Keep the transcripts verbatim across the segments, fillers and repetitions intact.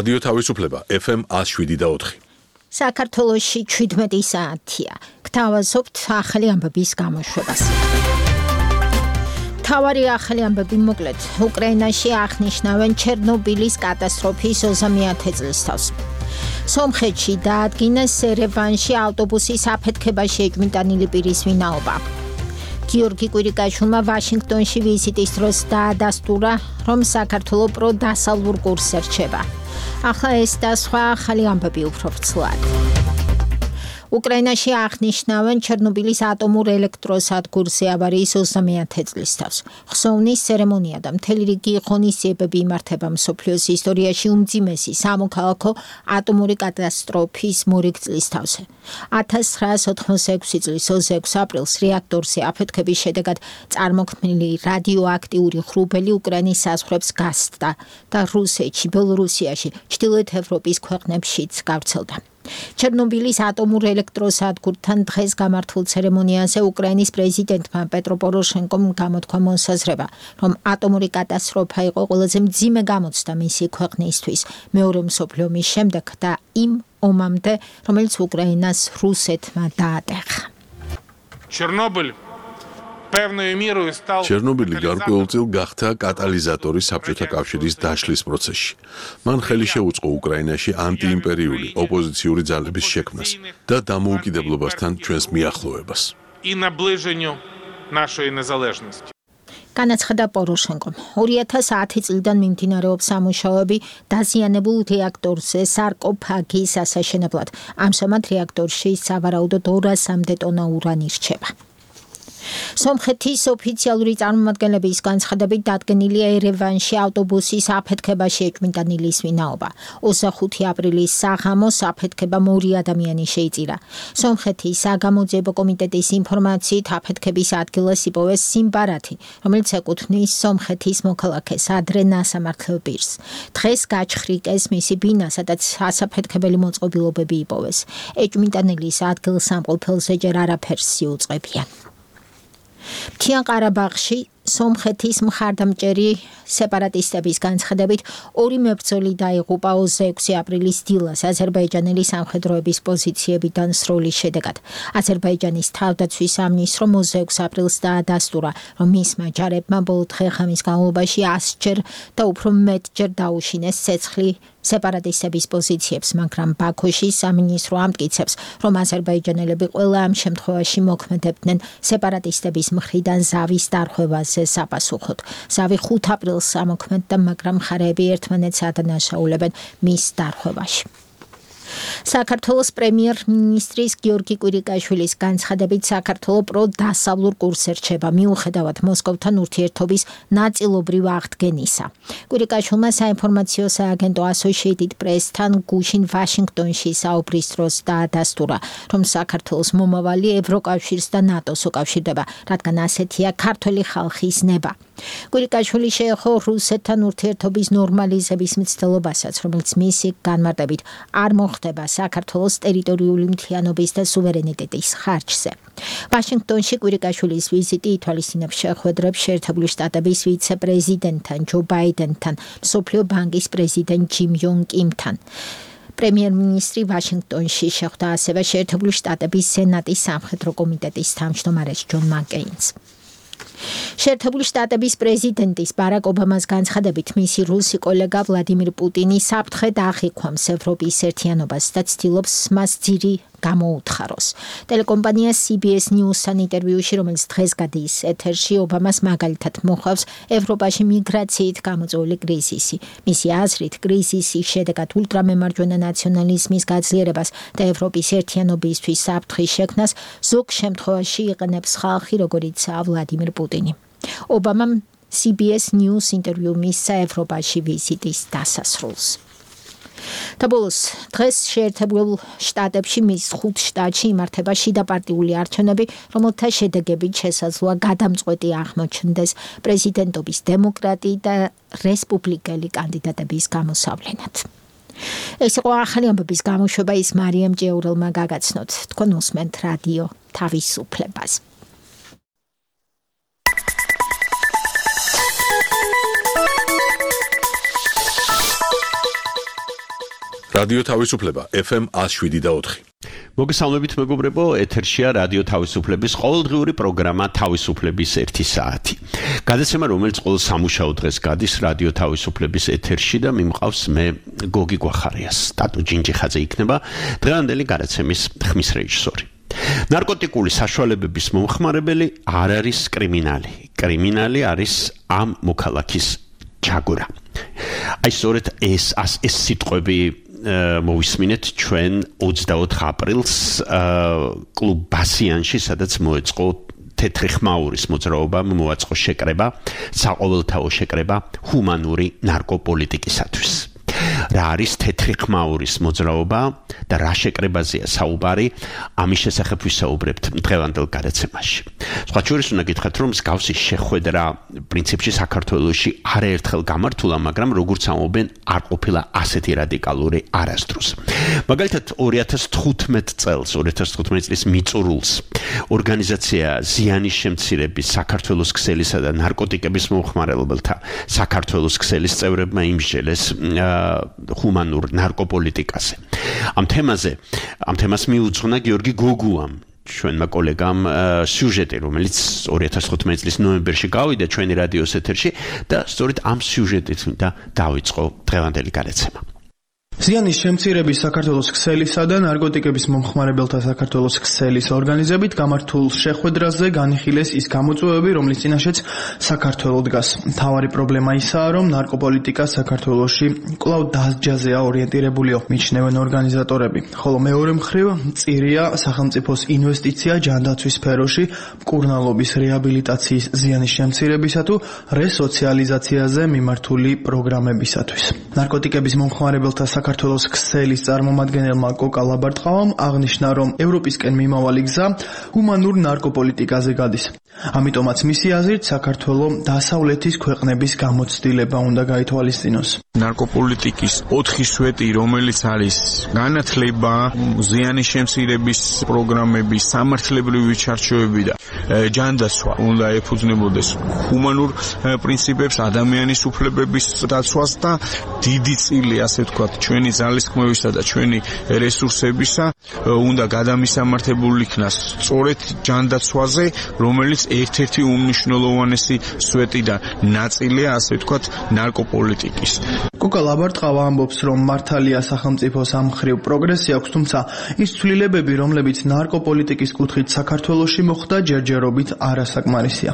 რადიო თავისუფლება ეფ ემ one oh seven და four. საქართველოში შვიდმეტი საათია. გთავაზობთ ახალი ამბების გამოშვებას. თავარი ახალი ამბები მოკლედ. უკრაინაში აღნიშნავენ ჩერნობილის კატასტროფის ოცდამეათე წლისთავს. სომხეთში დაადგინეს ერევანში ავტობუსის აფეთქებაში ეჭვმიტანილი პირის ვინაობა. გიორგი კვირიკაშვილმა ვაშინგტონში ვიზიტის დროს დაადასტურა, რომ საქართველო პრო დასავლურ კურსს ერჩება. ახლა ეს და სხვა ახალი ამბები უფრო ვრცლად. უკრაინაში აღნიშნავენ ჩერნობილის ატომურ ელექტროსადგურზე ავარიის ოცდამეათე წლისთავს. ხსოვნის ცერემონია და მთელი რიგი ღონისძიებები იმართება მსოფლიოს ისტორიაში უმძიმესი სამოქალაქო ატომური კატასტროფის მორიგ წლისთავზე. ათას ცხრაას ოთხმოცდაექვსი წლის ოცდაექვსი აპრილს რეაქტორზე აფეთქების შედეგად წარმოქმნილი რადიოაქტიური ღრუბელი უკრაინის საზღვრებს გასცდა და რუსეთში, ბელორუსიაში, ჩრდილოეთ ევროპის ქვეყნებშიც გავრცელდა. ჩერნობილის ატომურ ელექტროსადგურთან დღეს გამართულ ცერემონიაზე უკრაინის პრეზიდენტმა პეტრო პოროშენკომ გამოთქვა მოსაზრება, რომ ატომური კატასტროფა იყო ყველაზე მძიმე გამოცდა მისი ქვეყნისთვის მეორე მსოფლიო ომის შემდეგ და იმ ომამდე, რომელიც უკრაინას რუსეთმა დაატეხა. ჩერნობილი ჩერნობილი გარკვეულწილ გახდა კატალიზატორი საბჭოთა კავშირის დაშლის პროცესში. მან ხელი შეუწყო უკრაინაში ანტიიმპერიული ოპოზიციური ძალების შექმნას და დამოუკიდებლობასთან ჩვენს მიახლოვებას. განაცხადა პოროშენკომ. ორი ათას ათი წლიდან მიმდინარეობს სამუშაოები დაზიანებულ რეაქტორზე სარკოფაგის ასაშენებლად. ამჟამად რეაქტორში სავარაუდოდ ორასამდე ტონა ურანი რჩება. სომხეთის ოფიციალური წარმომადგენლების განცხადებით დადგენილია ერევანში ავტობუსის აფეთქებაში ეჭვმიტანილის ვინაობა. ოცდახუთი აპრილის საღამოს აფეთქებამ ორი ადამიანი შეიწირა. სომხეთის საგამოძიებო კომიტეტის ინფორმაციით აფეთქების ადგილას იპოვეს სიმბარათი, რომელიც ეკუთვნის სომხეთის მოქალაქეს ადრე ნასამართლელ პირს. დღეს გაჩხრიკეს მისი ბინა, სადაც ასაფეთქებელი მოწყობილობები იპოვეს. ეჭვმიტანილის ადგილსამყოფელზე ჯერ არაფერს იუწყებიან. მთიან ყარაბაღში სომხეთის მხარდამჭერი სეპარატისტების განცხადებით ორი მებრძოლი დაიღუპა ოცდაექვსი აპრილის დილას აზერბაიჯანელი სამხედროების პოზიციებიდან სროლის შედეგად. აზერბაიჯანის თავდაცვის სამინისტრომ ოცდაექვსი აპრილს დაადასტურა, რომ მისმა ჯარებმა ბოლო დღე-ღამის განმავლობაში ასჯერ და უფრო მეტჯერ დაუშინეს ცეცხლი სეპარატისტების პოზიციებს, მაგრამ ბაქოში სამინისტრო ამტკიცებს, რომ აზერბაიჯანელები ყველა ამ შემთხვევაში მოქმედებდნენ სეპარატისტების მხრიდან ზავის დარღვევაზე საპასუხოდ. ზავი ხუთ აპრილს ამოქმედდა, მაგრამ მხარეები ერთმანეთს ადანაშაულებენ მის დარღვევაში. საქართველოს პრემიერ-მინისტრის გიორგი კვირიკაშვილის განცხადებით საქართველო პრო დასავლურ კურსს ერჩება მიუხედავად მოსკოვთან ურთიერთობის ნაწილობრივ აღდგენისა. კვირიკაშვილმა საინფორმაციო სააგენტო Associated Press-თან გუშინ ვაშინგტონში საუბრის დროს დაადასტურა, რომ საქართველოს მომავალი ევროკავშირს და ნატოს უკავშირდება, რადგან ასეთია ქართველი ხალხის ნება. კვირიკაშვილი შეეხო რუსეთთან ურთიერთობის ნორმალიზების მცდელობასაც, რომელიც მისი განმარტებით არ მოხდება საქართველოს ტერიტორიული მთლიანობის და სუვერენიტეტის ხარჯზე. ვაშინგტონში კვირიკაშვილის ვიზიტი ითვალისწინებს შეხვედრებს შეერთებული შტატების ვიცე-პრეზიდენტთან ჯო ბაიდენთან, მსოფლიო ბანკის პრეზიდენტ ჯიმ იონ კიმთან. პრემიერ-მინისტრი ვაშინგტონში შეხვდა ასევე შეერთებული შტატების სენატის სამხედრო კომიტეტის თავმჯდომარეს ჯონ მაკეინს. შეერთებული შტატების პრეზიდენტის ბარაკ ობამას განცხადებით მისი რუსი კოლეგა ვლადიმირ პუტინი საფრთხედ აღიქვამს ევროპის ერთიანობას და ცდილობს მას ძირი გამოუთხაროს. ტელეკომპანია სი ბი ეს News-თან ინტერვიუში, რომელიც დღეს გადის ეთერში, ობამას მაგალითად მოხავს ევროპაში მიგრაციით გამოწვეული კრიზისი. მისი აზრით, კრიზისის შედეგად ულტრამემარჯვენე ნაციონალიზმის გაძლიერებას და ევროპის ერთიანობისთვის საფრთხის შექმნას ზოგ შემთხვევაში იყენებს ხალხი, როგორიცაა ვლადიმირ პუტინი. ობამამ სი ბი ეს News ინტერვიუ მისცა ევროპაში ვიზიტის დასასრულს. და ბოლოს დღეს შეერთებულ შტატებში მის ხუთ შტატში იმართება შიდაპარტიული არჩევნები, რომელთა შედეგებით შესაძლოა გადამწყვეტი აღმოჩნდეს პრეზიდენტობის დემოკრატი და რესპუბლიკელი კანდიდატების გამოსავლენად. ეს იყო ახალი ამბების გამოშვება, ის მარიამ ჭიაურელმა გაგაცნოთ. თქვენ უსმენთ რადიო თავისუფლებას. რადიო თავისუფლება ეფ ემ one oh seven point four. მოგესალმებით მეგობრებო, ეთერშია რადიო თავისუფლების ყოველდღიური პროგრამა თავისუფლების ერთი საათი. გადაცემა, რომელიც ყოველ სამუშაო დღეს გადის რადიო თავისუფლების ეთერში და მიმყავს მე გოგი გვახარიას. ტატუ ჯინჯიხაძე იქნება დღევანდელი გადაცემის ხმის რეჟისორი. ნარკოტიკული საშუალებების მომხმარებელი არ არის კრიმინალი. კრიმინალი არის ამ მოქალაქის ჩაგვრა. აი სწორედ ეს ეს სიტყვები მოვისმინეთ ჩვენ ოცდაოთხ აპრილს კლუბ ბასიანში, სადაც მოეწყო თეთრი ხმაურის მოძრაობამ მოაწყო შეკრება, საყოველთაო შეკრება ჰუმანური ნარკოპოლიტიკისათვის. რა არის თეთრი ხმაურის მოძრაობა და რა შეკრებაზეა საუბარი, ამის შესახებ ვისაუბრებთ დღევანდელ გადაცემაში. სხვა შორის უნდა გითხრათ, რომ მსგავსი შეხვედრა პრინციპში საქართველოში არაერთხელ გამართულა, მაგრამ როგორც ამბობენ, არ ყოფილა ასეთი რადიკალური არასდროს. მაგალითად ორი ათას თხუთმეტ წელს, ორი ათას თხუთმეტ წლის მიწურულს ორგანიზაცია ზიანის შემცირების საქართველოს ქსელისა და ნარკოტიკების მომხმარებელთა საქართველოს ქსელის წევრებმა იმსჯელეს ჰუმანურ ნარკოპოლიტიკაზე. ამ თემაზე, ამ თემას მიუძღვნა გიორგი გოგუამ, ჩვენმა კოლეგამ სიუჟეტი, რომელიც ორი ათას თხუთმეტ წლის ნოემბერში გავიდა ჩვენი რადიოს ეთერში და სწორედ ამ სიუჟეტით და დაიწყო დღევანდელი გადაცემა. ზიანის შემცირების საქართველოს ქსელისა და ნარკოტიკების მომხმარებელთა საქართველოს ქსელის ორგანიზებით გამართულ შეხვედრაზე განიხილეს ის გამოწვევები, რომლის წინაშეც საქართველო დგას. მთავარი პრობლემა ისაა, რომ ნარკოპოლიტიკა საქართველოში კვლავ დასჯაზეა ორიენტირებულიო, მიჩნევენ ორგანიზატორები. ხოლო მეორე მხრივ მწირია სახელმწიფოს ინვესტიცია ჯანდაცვის სფეროში, მკურნალობის რეაბილიტაციის ზიანის შემცირებისა თუ რესოციალიზაციაზე მიმართული პროგრამებისათვის. ნარკოტიკების მომხმარებელთა საქართველოს ქსელის წარმომადგენელმა კოკა ლაბარტყავამ აღნიშნა, რომ ევროპისკენ მიმავალი გზა ჰუმანურ ნარკოპოლიტიკაზე გადის. ამიტომაც მისი აზრით საქართველო დასავლეთის ქვეყნების გამოცდილება უნდა გაითვალისწინოს. ნარკოპოლიტიკის ოთხი სვეტი, რომელიც არის განათლება, ზიანის შემცირების პროგრამების, სამართლებრივი ჩარჩოები და ჯანდაცვა, უნდა ეფუძნებოდეს ჰუმანურ პრინციპებს, ადამიანის უფლებების დაცვას და დიდი წილი, ასე ვთქვათ, ჩვენი ძალისხმევისა და ჩვენი რესურსებისა უნდა გადამისამართებული იქნას სწორედ ჯანდაცვაზე, რომელიც ერთ-ერთი უმნიშვნელოვანესი სვეტი და ნაწილია, ასე ვთქვათ, ნარკოპოლიტიკის. კოკა ლაბარტყავა ამბობს, რომ მართალია სახელმწიფოს ამ მხრივ პროგრესი აქვს, თუმცა ის ცვლილებები, რომლებიც ნარკოპოლიტიკის კუთხით საქართველოში მოხდა, ჯერჯერობით არასაკმარისია.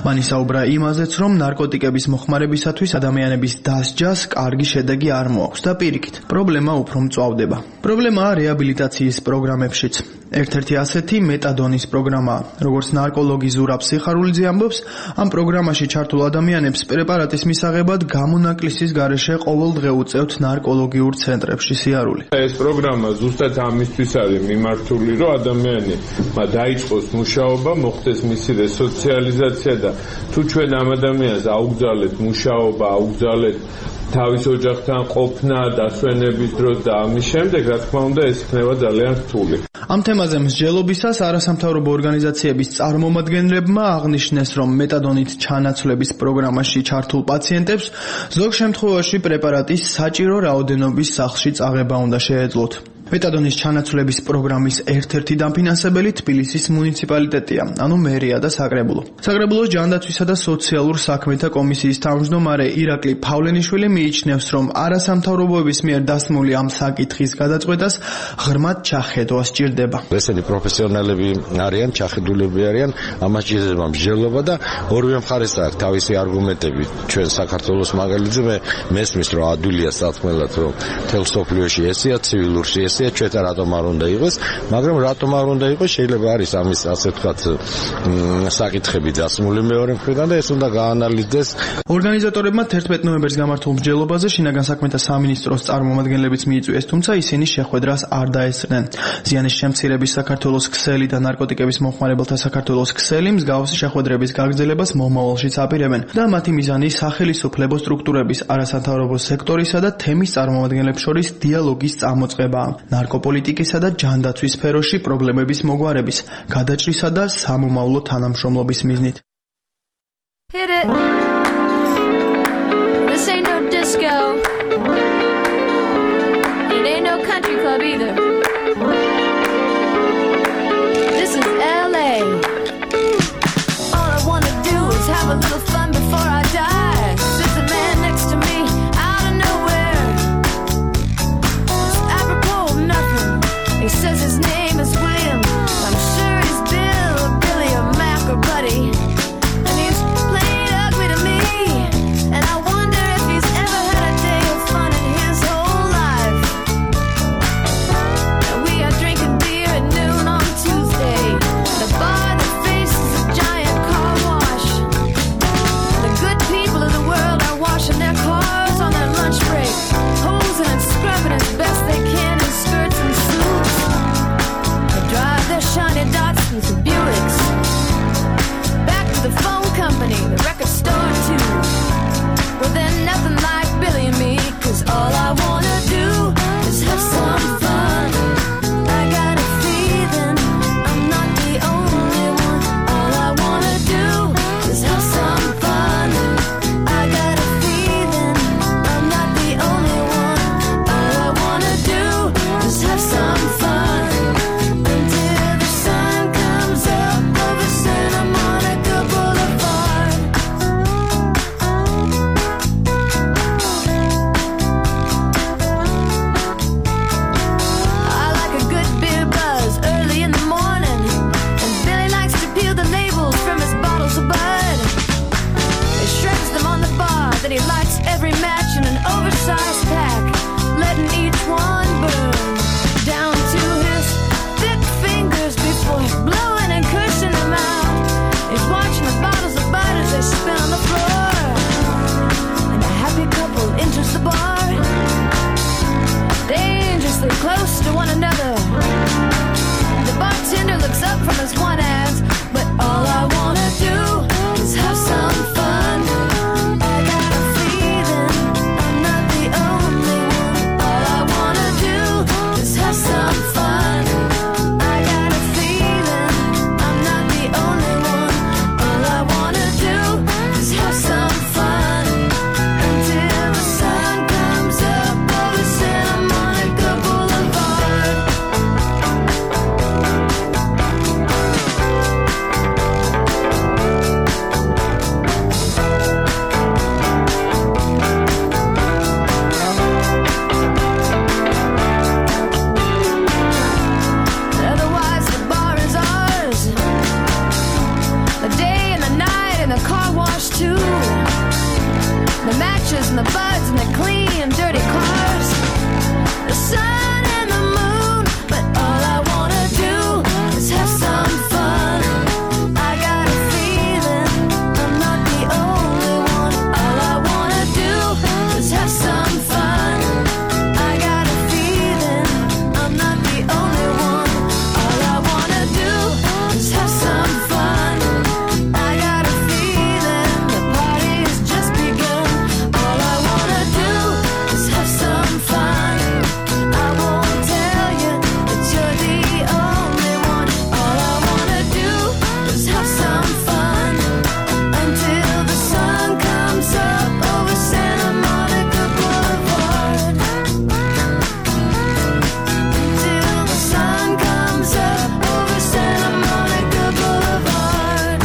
მან ისაუბრა იმაზეც, რომ ნარკოტიკების მოხმარებისათვის ადამიანების დასჯას კარგი შედეგი არ მოაქვს და პირიქით, პრობლემა უფრო მწვავდება. პრობლემაა რეაბილიტაციის პროგრამებშიც. ერთ-ერთი ასეთი მეტადონის პროგრამაა. როგორც ნარკოლოგი ზურაბ სიხარულიძე ამბობს, ამ პროგრამაში ჩართულ ადამიანებს პრეპარატის მისაღებად გამონაკლისის გარეშე ყოველდღე უწევთ ნარკოლოგიურ ცენტრებში სიარული. ეს პროგრამა ზუსტად ამისთვის არის მიმართული, რომ ადამიანი დაიწყოს მუშაობა, მოხდეს მისი რესოციალიზაცია და თუ ჩვენ ამ ადამიანს აუგზავნებთ მუშაობა, აუგზავნებთ თავის ოჯახთან ყოფნა, დასვენების დროს და ამის შემდეგ, რა თქმა უნდა, ეს იქნება ძალიან რთული. ამ თემაზე მსჯელობისას არასამთავრობო ორგანიზაციების წარმომადგენლებმა აღნიშნეს, რომ მეტადონით ჩანაცვლების პროგრამაში ჩართულ პაციენტებს ზოგ შემთხვევაში პრეპარატის საჭირო რაოდენობის სახლში წაღება უნდა შეეძლოთ. მეტადონის ჩანაცვლების პროგრამის ერთ-ერთი დამფინანსებელი თბილისის მუნიციპალიტეტია, ანუ მერია და საკრებულო. საკრებულოს ჯანდაცვისა და სოციალურ საქმეთა კომისიის თავმჯდომარე ირაკლი ფავლენიშვილი მიიჩნევს, რომ არასამთავრობოების მიერ დასმული ამ საკითხის გადაწყვეტას ღრმად ჩახედვა სჭირდება. ესენი პროფესიონალები არიან, ჩახედულები არიან, ამას ჭირდება მსჯელობა და ორივე მხარეს აქვს თავისი არგუმენტები. ჩვენ საქართველოს მაგალითზე მე მესმის, რომ ადვილია სათქმელად, რომ მთელ სოფლიოში ესეა, ცივილურში ესეა, ჩვენ რატომ არ უნდა იყოს, მაგრამ რატომ არ უნდა იყოს, შეიძლება არის ამის ასე ვთქვათ საკითხები დასმული მეორე მხრიდან და ეს უნდა გაანალიზდეს. ორგანიზატორებმა თერთმეტ ნოემბერს გამართულ მსჯელობაზე შინაგან საქმეთა სამინისტროს წარმომადგენლებიც მიიწვიეს, თუმცა ისინი შეხვედრას არ დაესწრნენ. ზიანის შემცირების საქართველოს ქსელი და ნარკოტიკების მომხმარებელთა საქართველოს ქსელი მსგავსი შეხვედრების გაგრძელებას მომავალშიც აპირებენ და მათი მიზანი სახელმწიფო სტრუქტურების, არასამთავრობო სექტორისა და თემის წარმომადგენლებს შორის დიალოგის წამოწყებაა. ნარკოპოლიტიკისა და ჯანდაცვის სფეროში პრობლემების მოგვარების, გადაჭრისა და სამომავლო თანამშრომლობის მიზნით. Hit it. This ain't no disco. It ain't no country club either. This is L A. All I wanna do is have a little fun before I die. Sits a man next to me out of nowhere. It's apropos of nothing. He says his name is William. I'm sure he's Bill or Billy or Mac or Buddy. And he's plain ugly to me. And I wonder if he's ever had a day of fun in his whole life. And we are drinking beer at noon on Tuesday. The bar that faces a giant car wash. The good people of the world are washing their cars on their lunch break, hosing and scrubbing as best they can in skirts and suits. They drive their shiny Datsuns and Buicks back to the phone company, the record store too. But they're nothing like Billy and me, 'cause all I wanna do is have some fun. I got a feeling I'm not the only one. All I wanna do is have some fun. I got a feeling I'm not the only one. All I wanna do is have some fun until the sun comes up over Santa Monica Boulevard. I like a good beer buzz early in the morning, and Billy likes to peel the labels from his bottles of Bud. He shreds them on the bar, then he lights every match in an oversized pack, letting each one burn down to his thick fingers before blowing and cursing them out. He's watching the bottles of Bud as they spin on the floor, and a happy couple enters the bar, dangerously close to one another. The bartender looks up from his one hands, but all I wanna do is have some fun. I got a feeling I'm not the only one. All I wanna do is have some fun. I got a feeling I'm not the only one. All I wanna do is have some fun until the sun comes up over Santa Monica Boulevard. Otherwise the bar is ours, the day and the night and the car wash too, the matches and the buds and the clean and dirty cars, the sun and the moon. But all I wanna do is have some fun. I got a feeling I'm not the only one. All I wanna do is have some fun. I got a feeling I'm not the only one. All I wanna do is have some fun. I got a feeling the party's just begun. All I wanna do is have some fun. I won't tell you that you're the only one. All I wanna do is have some fun until the sun comes up over Santa Monica Boulevard. Until the sun comes up over Santa Monica Boulevard.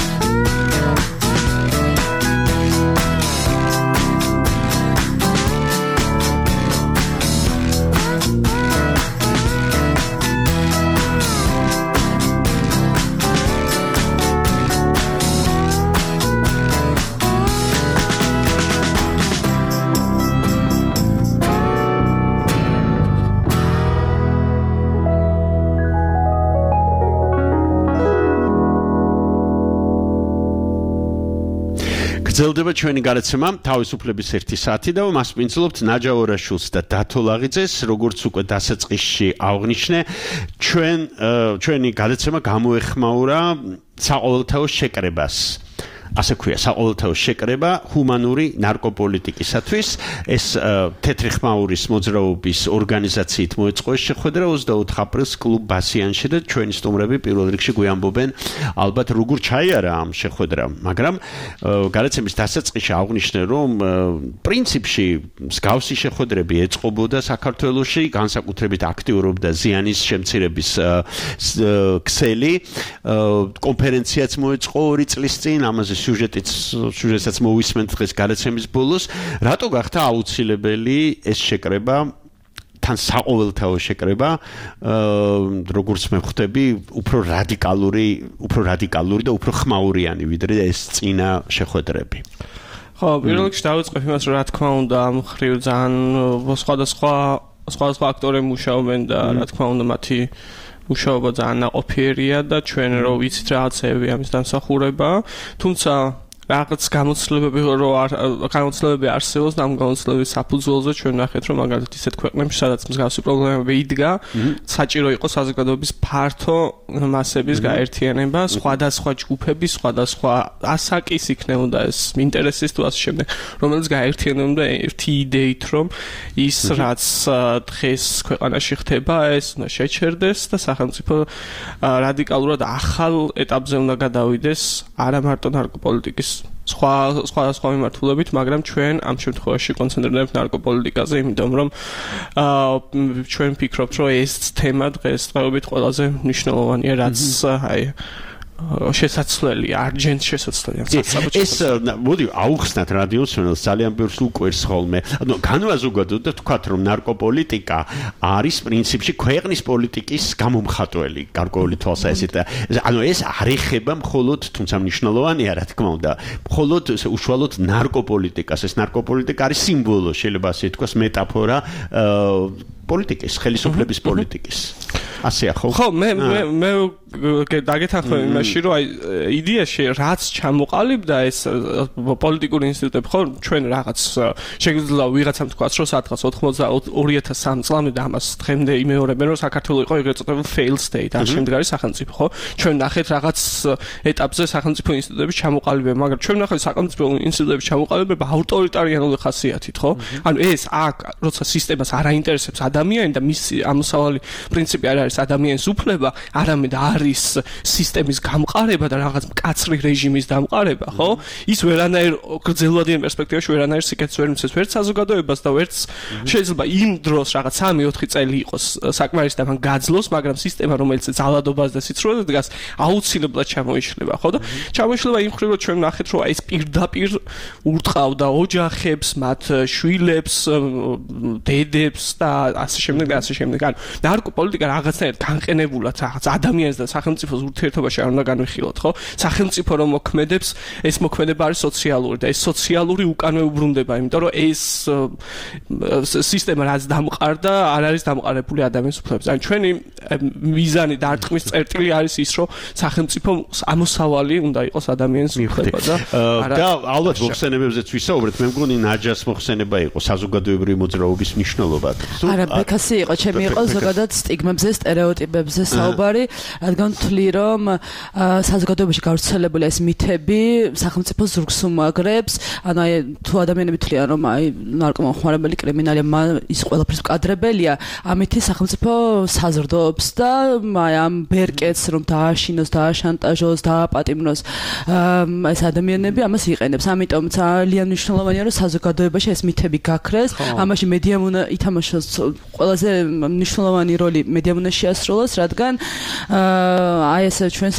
გრძელდება ჩვენი გადაცემა თავისუფლების ერთი საათი და მასპინძლობთ ნაჯა ორაშულს და დათო ლაღიძეს, როგორც უკვე დასაწყისში აღნიშნე, ჩვენ ჩვენი გადაცემა გამოეხმაურა საყოველთაო შეკრებას. ასე ქვია, საყოველთაო შეკრება ჰუმანური ნარკოპოლიტიკისათვის. ეს თეთრი ხმაურის მოძრაობის ორგანიზაციით მოეწყო ეს შეხვედრა ოცდაოთხ აპრილს კლუბ ბასიანში და ჩვენი სტუმრები პირველ რიგში გვიამბობენ ალბათ როგორ ჩაიარა ამ შეხვედრამ, მაგრამ გადაცემის დასაწყისში აღვნიშნე, რომ პრინციპში მსგავსი შეხვედრები ეწყობოდა საქართველოში, განსაკუთრებით აქტიურობდა ზიანის შემცირების ქსელი, კონფერენციაც მოეწყო ორი წლის წინ, ამაზე სიუჟეტიც სიუჟეტსაც მოვისმენთ დღეს გადაცემის ბოლოს, რატო გახდა აუცილებელი ეს შეკრება თან საყოველთაო შეკრება, როგორც მე ხვდები, უფრო რადიკალური, უფრო რადიკალური და უფრო ხმაურიანი ვიდრე ეს წინა შეხვედრები. ხო, პირველ რიგში დავიწყებ იმას, რომ რა თქმა უნდა, ამ ხრივ ძალიან სხვადასხვა სხვადასხვა აქტორები მუშაობენ და რა თქმა უნდა, მათი მუშაობა ძალიან ნაყოფიერია და ჩვენ რო ვიცით რაღაცები ამის დამსახურება, თუმცა რაღაც გამოცდილებები რო გამოცდილებები არსებობს და ამ გამოცდილების საფუძველზე ჩვენ ნახეთ რომ მაგალითად ისეთ ქვეყნებში სადაც მსგავსი პრობლემები იდგა საჭირო იყო საზოგადოების ფართო მასების გაერთიანება სხვადასხვა ჯგუფების სხვადასხვა ასაკის იქნებოდა ეს ინტერესის თუ ასე შემდეგ რომელიც გაერთიანებდა ერთი იდეით რომ ის რაც დღეს ქვეყანაში ხდება ეს უნდა შეჩერდეს და სახელმწიფო რადიკალურად ახალ ეტაპზე უნდა გადავიდეს არა მარტო ნარკოპოლიტიკის სხვა სხვა სხვა მიმართულებით, მაგრამ ჩვენ ამ შემთხვევაში კონცენტრირებთ ნარკოპოლიტიკაზე, იმიტომ რომ ჩვენ ვფიქრობთ, რომ ეს თემა დღესდღეობით ყველაზე მნიშვნელოვანია, რაც აი შესაძლებელი, არჯენტ შესაძლებელი. ეს მოდი აუხსნათ რადიოს ჩვენს ძალიან ბევრს უკვირს ხოლმე. ანუ განვაზოგადოთ და ვთქვათ, რომ ნარკოპოლიტიკა არის პრინციპში ქვეყნის პოლიტიკის გამომხატველი, გარკვეული თვალსაზრისით. ანუ ეს არ ეხება მხოლოდ, თუმცა მნიშვნელოვანია, რა თქმა უნდა, მხოლოდ უშუალოდ ნარკოპოლიტიკას. ეს ნარკოპოლიტიკა არის სიმბოლო, შეიძლება ასე ითქვას, მეტაფორა პოლიტიკის, ხელისუფლების პოლიტიკის. ასეა ხო? ხო, მე მე მე დაგეთანხმები იმაში, რომ აი იდეაში რაც ჩამოყალიბდა ეს პოლიტიკური ინსტიტუტები, ხო, ჩვენ რაღაც შეგვიძლია ვიღაცამ თქვას, რომ სადღაც ოთხმოცდაორი ათასი სამი წლამდე და ამას დღემდე იმეორებენ, რომ საქართველო იყო ეგრეთ წოდებული fail state, არ შემდგარი სახელმწიფო, ხო? ჩვენ ნახეთ რაღაც ეტაპზე სახელმწიფო ინსტიტუტების ჩამოყალიბება, მაგრამ ჩვენ ნახეთ სახელმწიფო ინსტიტუტების ჩამოყალიბება ავტორიტარიანული ხასიათით, ხო? ანუ ეს აქ როცა სისტემას არ აინტერესებს ადამიანი და მისი ამოსავალი პრინციპი არ არის ადამიანის უფლება, არამედ არის სისტემის გამყარება და რაღაც მკაცრი რეჟიმის დამყარება, ხო? ის ვერანაირ გრძელვადიან პერსპექტივაში ვერანაირ სიკეთეს ვერ მისცემს ვერც საზოგადოებას და ვერც შეიძლება იმ დროს რაღაც სამი ოთხი წელი იყოს საკმარის და მან გაძლოს, მაგრამ სისტემა რომელიც ძალადობას და სიცრუეზე დგას, აუცილებლად ჩამოიშლება, ხო? და ჩამოიშლება იმ ხრივ, რომ ჩვენ ნახეთ, რომ ეს პირდაპირ ურტყავდა ოჯახებს, მათ შვილებს, დედებს და ასე შემდეგ და ასე შემდეგ. ანუ ნარკოპოლიტიკა რაღაცნაირად განყენებულად რაღაც ადამიანს და სახელმწიფოს ურთიერთობაში არ უნდა განვიხილოთ, ხო? სახელმწიფო რომ მოქმედებს, ეს მოქმედება არის სოციალური და ეს სოციალური უკანვე უბრუნდება, იმიტომ რომ ეს სისტემა რაც დამყარდა, არ არის დამყარებული ადამიანის უფლებებზე. ანუ ჩვენი მიზანი და არტყმის წერტილი არის ის, რომ სახელმწიფო ამოსავალი უნდა იყოს ადამიანის უფლება და და ალბათ მოხსენებებზეც ვისაუბრეთ, მე მგონი ნაჯას მოხსენება იყო საზოგადოებრივი მოძრაობის მნიშვნელობა. არა, ბექასი იყო, ჩემი იყო ზოგადად სტიგმებზე, სტერეოტიპებზე საუბარი, რადგან თვლი რომ საზოგადოებაში გავრცელებული ეს მითები სახელმწიფო ზურგს უმაგრებს, ანუ აი თუ ადამიანები თვლიან რომ აი ნარკომანხმარებელი კრიმინალია, ის ყველაფრის მკადრებელია, ამითი სახელმწიფო საზრდოობს და აი ამ ბერკეტს რომ დააშინოს, დააშანტაჟოს, დააპატიმროს ეს ადამიანები ამას იყენებს. ამიტომ ძალიან მნიშვნელოვანია რომ საზოგადოებაში ეს მითები გაქრეს, ამაში მედიამ უნდა ითამაშოს ყველაზე მნიშვნელოვანი როლი მედიამ უნდა შეასრულოს, რადგან აი ეს ჩვენ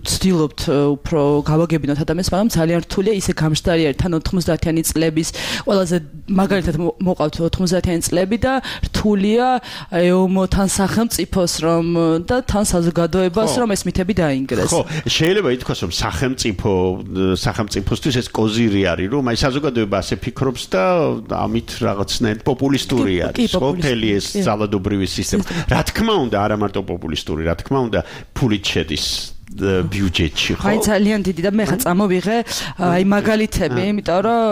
ვცდილობთ უფრო გავაგებინოთ ადამიანს, მაგრამ ძალიან რთულია ისე გამჟდარი არის თან ოთხმოცდაათიანი წლების ყველაზე მაგალითად მოყავთ ოთხმოცდაათიანი წლები და რთულია ეომოთან სახელმწიფოს რომ და თან საზოგადოებას რომ ეს მითები დაინგრეს. ხო, შეიძლება ითქვას რომ სახელმწიფო სახელმწიფოსთვის ეს კოზირი არის, რომ აი საზოგადოება ასე ფიქრობს და ამით რაღაცნაირად პოპულისტური არის, ხო, მთელი ეს ძალადობრივი სისტემა. რა თქმა უნდა, არა მარტო პოპულისტური, რა თქმა უნდა, ფულით შედის ბიუჯეტში, ხო? აი ძალიან დიდი და მე ხა წამოვიღე აი მაგალითები, იმიტომ რომ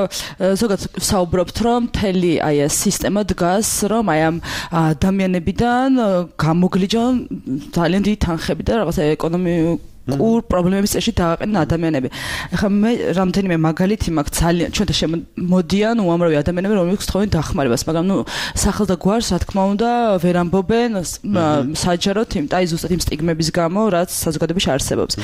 ზოგადად საუბრობთ რომ მთელი აი ეს სისტემა დგას, რომ აი ამ ადამიანებიდან გამოგლიჯონ ძალიან დიდი თანხები და რაღაცა ეკონომიკ კურ პრობლემების წესში დააყენენ ადამიანები. ეხლა მე რამდენიმე მაგალითი მაქვს ძალიან ჩვენთან შემოდიან უამრავი ადამიანები, რომლებიც თხოვენ დახმარებას, მაგრამ ნუ სახელს და გვარს, რა თქმა უნდა, ვერ ამბობენ საჯაროდ იმ და აი ზუსტად იმ სტიგმების გამო, რაც საზოგადოებაში არსებობს.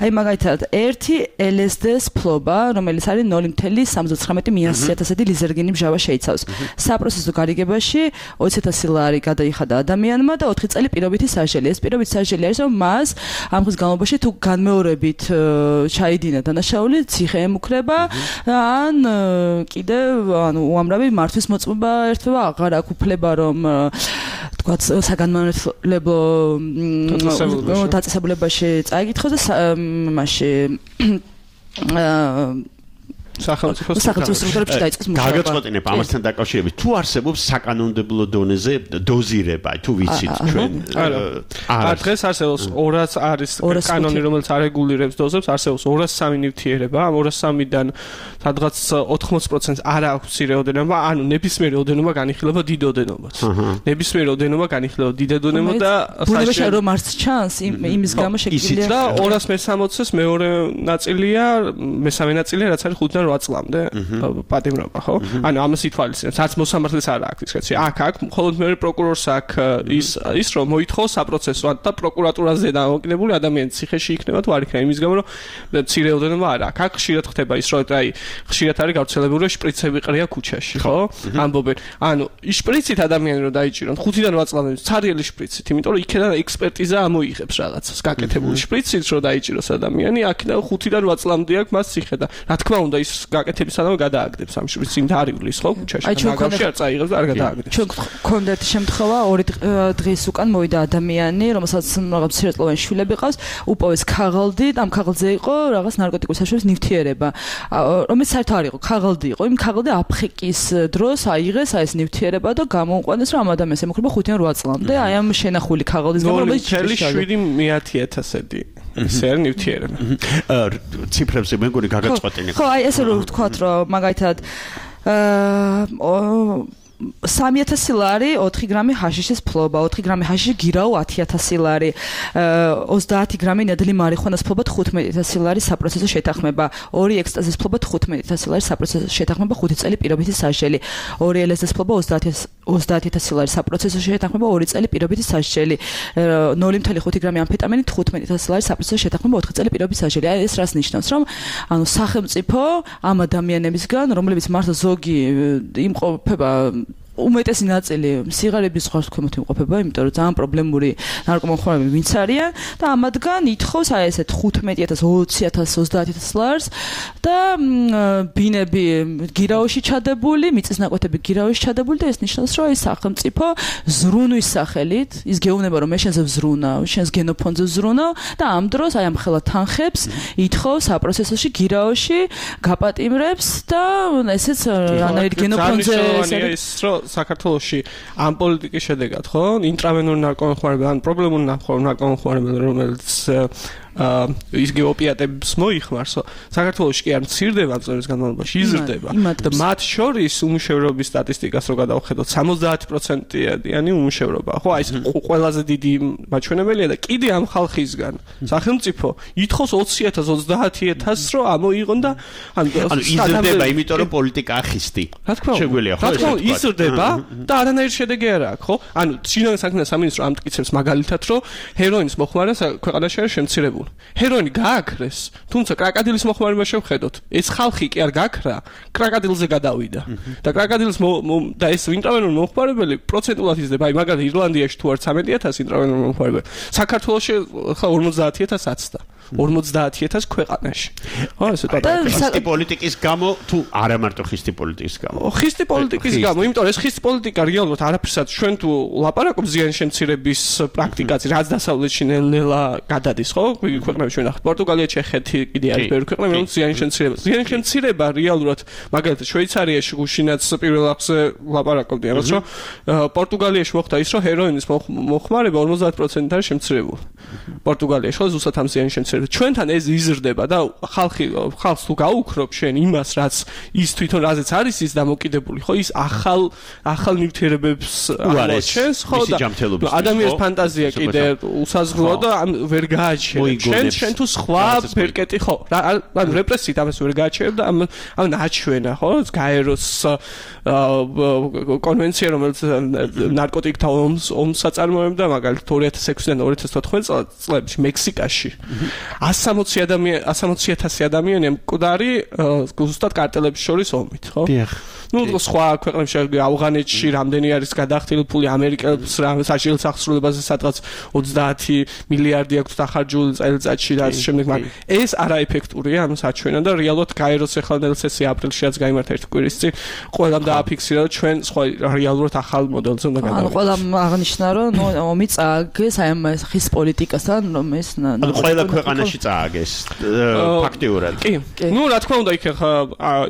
აი მაგალითად, ერთი ელ ეს დი-ს ფლობა, რომელიც არის ნული ათეული სამოცდათხრამეტი მიასიათასედი ლიზერგინი მჟავა შეიცავს. საპროცესო გარიგებაში ოცი ათასი ლარი გადაიხადა ადამიანმა და ოთხი წელი პირობითი სასჯელი. ეს პირობითი სასჯელი არის, რომ მას ამ ხის განმავლობაში თუ განმეორებით ჩაიდინა დანაშაული, ციხე ემუქრება, ან კიდევ ანუ უამრავი მართვის მოწმობა ერთვება, აღარ აქვს უფლება რომ თქვათ საგანმანათლებლო დაწესებულებაში წაიკითხოს და მასში სახელმწიფო სტრუქტურებში დაიწყოს მუშაობა. გაგაწყოტინებ ამასთან დაკავშირებით, თუ არსებობს საკანონმდებლო დონეზე დოზირება, თუ ვიცით ჩვენ. არა, დღეს არსებობს ორას არის კანონი, რომელიც არეგულირებს დოზებს, არსებობს ორას სამი ნივთიერება, ამ ორას სამიდან სადღაც ოთხმოცი პროცენტს არ აქვს რაოდენობა, ანუ ნებისმიერი რაოდენობა განიხილება დიდ ოდენობას. ნებისმიერი რაოდენობა განიხილება დიდ ოდენობას და ბუნებაში რომ არც ჩანს იმის გამო შეგვიძლია და ორას მესამოცს მეორე ნაწილია, მესამე ნაწილია, რაც არის ხუთიდან რვა წლამდე პატიმრობა, ხო? ანუ ამას ითვალისწინებს, არც მოსამართლეს არ აქვს ის კაცი. აქ აქ მხოლოდ მეორე პროკურორს აქვს ის ის რომ მოითხოვს საპროცესო და პროკურატურაზე დამოკიდებული ადამიანის ციხეში იქნება თუ არ იქნება, იმის გამო რომ მცირე რაოდენობა არ აქვს. აქ ხშირად ხდება ის, რომ აი ხშირად არის გავრცელებული რომ შპრიცები ყრია ქუჩაში, ხო? ამბობენ. ანუ ის შპრიცით ადამიანი რომ დაიჭირონ ხუთიდან რვა წლამდე ცარიელი შპრიცით, იმიტომ რომ იქიდან ექსპერტიზა ამოიღებს რაღაცას, გაკეთებული შპრიცით რომ დაიჭიროს ადამიანი, აქედან ხუთიდან რვა წლამდე აქვს მას ციხე და რა თქმა უნდა ის გაკეთებისადამე გადააგდებს ამ შპრიცს იმ დარივლის, ხო, ქუჩაში. მაგავში არ წაიღებს და არ გადააგდებს. ჩვენ გვქონდა ერთი შემთხვევა, ორი დღის უკან მოვიდა ადამიანი, რომელსაც რაღაც მცირეწლოვანი შვილები ყავს, უპოვეს ქაღალდი, ამ ქაღალდზე იყო რაღაც ნარკოტიკული საშუალების ნივთიერება. რომელიც საერთოდ არ იყო, ქაღალდი იყო. იმ ქაღალდი აფხიკის დროს აიღეს აი ეს ნივთიერება და გამოუყვანეს, რომ ამ ადამიანს ემუქრება ხუთიდან რვა წლამდე. აი ამ შენახული ქაღალდის გამო რომელიც შვიდი ათი ათასედი ესე არის ნივთიერება. ციფრებზე მეგონი გაგაწყვეტინე. ხო, აი ესე რომ ვთქვათ, რომ მაგალითად აა სამი ათასი ლარი ოთხი გრამი ჰაშიშის ფლობა, ოთხი გრამი ჰაშიში გირაო ათი ათასი ლარი, ოცდაათი გრამი ნედლი მარიხუანას ფლობა თხუთმეტი ათასი ლარი საპროცესო შეთანხმება, ორი ექსტაზის ფლობა თხუთმეტი ათასი ლარი საპროცესო შეთანხმება, ხუთი წელი პირობითი სასჯელი, ორი ელ ეს დი-ს ფლობა ოცდაათი ათასი ლარი საპროცესო შეთანხმება, ორი წელი პირობითი სასჯელი, ნული ათეული ხუთი გრამი ამფეტამინი თხუთმეტი ათასი ლარი საპროცესო შეთანხმება, ოთხი წელი პირობითი სასჯელი. აი ეს რას ნიშნავს, რომ ანუ სახელმწიფო ამ ადამიანებისგან, რომლებიც მართლა ზოგი იმყოფება უმეტესი ნაწილი სიგარების ზღვარქვემოთ იმყოფება, იმიტომ რომ ძალიან პრობლემური ნარკომანები ვინც არიან და ამათგან ითხოვს აი ესე თხუთმეტი ათას, ოცი ათას, ოცდაათი ათას ლარს და ბინები გირაოში ჩადებული, მიწისნაკვეთები გირაოში ჩადებული და ეს ნიშნავს, რომ ის სახელმწიფო ზრუნვის სახელით, ის გეუბნება რომ მე შენზე ვზრუნავ, შენს გენოფონდზე ვზრუნავ და ამ დროს აი ამ ხელა თანხებს ითხოვს საპროცესოში გირაოში გაპატიმრებს და ესეც რანაირ გენოფონდზე ეს საქართველოში ამ პოლიტიკის შედეგად, ხო? ინტრავენური ნარკომანები ან პრობლემური ნარკომანები, რომელიც ის გეოპიატებს მოიხმარსო, საქართველოში კი არ მცირდება წლების განმავლობაში, იზრდება. და მათ შორის უმუშევრობის სტატისტიკას რო გადავხედოთ, სამოცდაათი პროცენტიანი უმუშევრობა, ხო? აი ეს ყველაზე დიდი მაჩვენებელია და კიდე ამ ხალხისგან სახელმწიფო ითხოვს ოცი ათას, ოცდაათი ათას რო ამოიღონ და ანუ იზრდება, იმიტომ რომ პოლიტიკა ახისტი. შეგვიძლია ხო ეს თქვა? იზრდება და არანაირი შედეგი არ აქვს, ხო? ანუ ჩინური საქმეთა სამინისტრო ამტკიცებს მაგალითად, რომ ჰეროინის მოხმარება ქვეყანაში არის შემცირებული. ჰეროინი გააქრეს, თუმცა კრაკადილის მოხმარება შევხედოთ. ეს ხალხი კი არ გაქრა, კრაკადილზე გადავიდა. და კრაკადილის და ეს ინტრავენური მოხმარებელი პროცენტულად იზრდება. აი მაგალითად ირლანდიაში თუ არ ცამეტი ათასი ინტრავენური მოხმარებელი, საქართველოში ხა ორმოცდაათი ათას აცდა. ორმოცდაათი ათას ქვეყანაში. ხო, ესე ხისტი პოლიტიკის გამო თუ არა მარტო ხისტი პოლიტიკის გამო. ხისტი პოლიტიკის გამო, იმიტომ რომ ეს ხისტი პოლიტიკა რეალურად არაფერსაც ჩვენ თუ ლაპარაკობ ზიანის შემცირების პრაქტიკაზე, რაც დასავლეთში ნელ-ნელა გადადის, ხო? ქვეყნებში ჩვენ ახლა პორტუგალია, ჩეხეთი, კიდე არის ბევრი ქვეყნა, რომელიც ზიანის შემცირება. ზიანის შემცირება რეალურად, მაგალითად, შვეიცარიაში გუშინაც პირველ ახზე ლაპარაკობდიან, რომ პორტუგალიაში მოხდა ის, რომ ჰეროინის მოხმარება ორმოცდაათი პროცენტით არის შემცირებული. პორტუგალიაში ხო ზუსტად ამ ზიანის შემცირება. ჩვენთან ეს იზრდება და ხალხი ხალხს თუ გაუქრობ შენ იმას, რაც ის თვითონ რაზეც არის ის დამოკიდებული, ხო? ის ახალ ახალ ნივთიერებებს აღჩენს, ხო და ადამიანის ფანტაზია კიდე უსაზღვროა და ვერ გააჩერებს. შენ შენ თუ სხვა ბერკეტი ხო? ანუ რეპრესიით ამას ვერ გააჩერებ და ამ ამ ნაჩვენა, ხო? გაეროს კონვენცია, რომელიც ნარკოტიკთა ომს ომს აწარმოებდა, მაგალითად ორი ათას ექვსიდან ორი ათას თოთხმეტ წლებში მექსიკაში. ასამოცი ადამიანი ასამოცი ათასი ადამიანი მკვდარი ზუსტად კარტელებს შორის ომით, ხო? დიახ. ნუ სხვა ქვეყნებში ავღანეთში რამდენი არის გადახდილი ფული ამერიკელს საშინელ სახსრულებაზე სადღაც ოცდაათი მილიარდი აქვს დახარჯული წელიწადში და ასე შემდეგ, მაგრამ ეს არაეფექტურია ამ საჩვენა და რეალურად გაეროს ეხლა სესია აპრილშიაც გაიმართა ერთი კვირის წინ ყველამ დააფიქსირა რომ ჩვენ სხვა რეალურად ახალ მოდელზე უნდა გადავიდეთ. ანუ ყველამ აღნიშნა რომ ნუ ომი წააგეს აი ამ ხის პოლიტიკასთან რომ ეს ანუ ყველა ქვეყანაში წააგეს ფაქტიურად. კი. ნუ რა თქმა უნდა იქ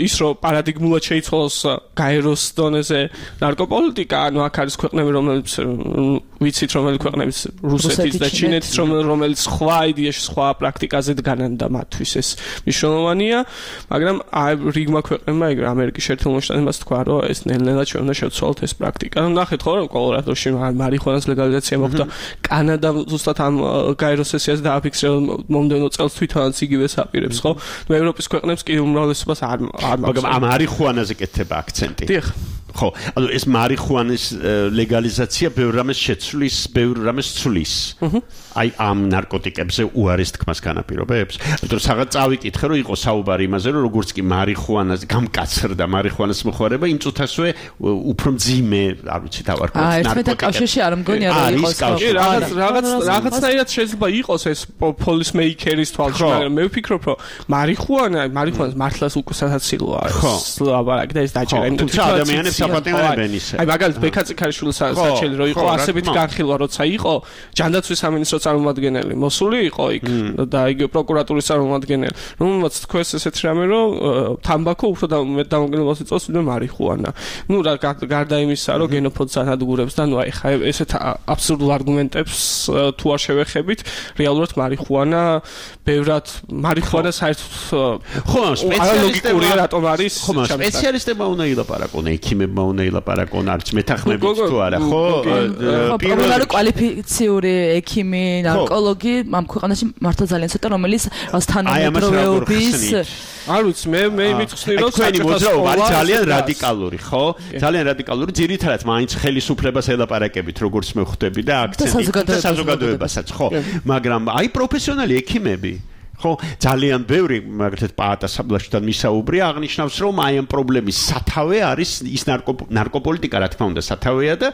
ის რომ პარადიგმულად შეიცვალოს გაეროს დონეზე ნარკოპოლიტიკა, ანუ აქ არის ქვეყნები რომლებიც ვიცით რომელი ქვეყნების რუსეთის და ჩინეთის რომელიც სხვა იდეაში სხვა პრაქტიკაზე დგანან და მათთვის ეს მნიშვნელოვანია, მაგრამ აი რიგმა ქვეყნებმა ეგრე ამერიკის შეერთებულ შტატებმაც თქვა რომ ეს ნელ-ნელა ჩვენ უნდა შევცვალოთ ეს პრაქტიკა. ნუ ნახეთ ხო რომ კოლორადოში მარიხუანას ლეგალიზაცია მოხდა, კანადამ ზუსტად ამ გაეროს სესიას დააფიქსირა მომდევნო წელს თვითონაც იგივეს აპირებს, ხო? ნუ ევროპის ქვეყნებს კი უმრავლესობას არ არ მაგრამ ამ მარიხუანაზე კეთდება აქცენტი. დიახ. ხო, ანუ ეს მარიხუანის ლეგალიზაცია ბევრ რამეს შეცვლის, ბევრ რამეს ცვლის. აი ამ ნარკოტიკებზე უარეს თქმას განაპირობებს. იმიტომ რომ საღაც წავიკითხე რომ იყო საუბარი იმაზე რომ როგორც კი მარიხუანას გამკაცრდა მარიხუანას მოხმარება, იმ წუთასვე უფრო მძიმე, არ ვიცი დავარქვათ ნარკოტიკები. აა ერთმეტ კავშირში არ მგონია რომ იყოს ხო? რაღაც რაღაც რაღაცნაირად შეიძლება იყოს ეს პოლისმეიკერის თვალში, მაგრამ მე ვფიქრობ რომ მარიხუანა, მარიხუანას მართლაც უკვე სასაცილოა. ხო, აბარაკ და ეს დაჭერა. თუმცა ადამიანებს საპატიმრებენ ისე. აი მაგალითად ბექაწიქარიშვილის საჩელი რო იყო ასებით განხილვა როცა იყო ჯანდაცვის სამინისტრო წარმომადგენელი მოსული იყო იქ და იგივე პროკურატურის წარმომადგენელი. რომელმაც თქვეს ესეთ რამე რომ თამბაქო უფრო მეტ დამოკიდებულებას იწვევს ვიდრე მარიხუანა. ნუ რა გარდა იმისა რომ გენოფონდს ანადგურებს და ნუ აი ხა ესეთ აბსურდულ არგუმენტებს თუ არ შევეხებით, რეალურად მარიხუანა ბევრად მარიხუანა საერთოდ ხო სპეციალისტებია რატომ არის? ხო სპეციალისტებმა უნდა ილაპარაკონ, ექიმებმა უნდა ილაპარაკონ, არც მეთანხმებით თუ არა, ხო? პირველად კვალიფიციური ექიმი, ნარკოლოგი ამ ქვეყანაში მართლა ძალიან ცოტა, რომელიც თანამედროვეობის არ ვიცი, მე მე მითხსნი რომ თქვენი მოძრაობა არის ძალიან რადიკალური, ხო? ძალიან რადიკალური, ძირითადად მაინც ხელისუფლებას ელაპარაკებით, როგორც მე ხვდები და აქცენტი საზოგადოებასაც, ხო? მაგრამ აი პროფესიონალი ექიმები ხო ძალიან ბევრი მაგალითად პაატა საბლაშთან მისაუბრია აღნიშნავს რომ აი ამ პრობლემის სათავე არის ის ნარკოპოლიტიკა რა თქმა უნდა სათავეა და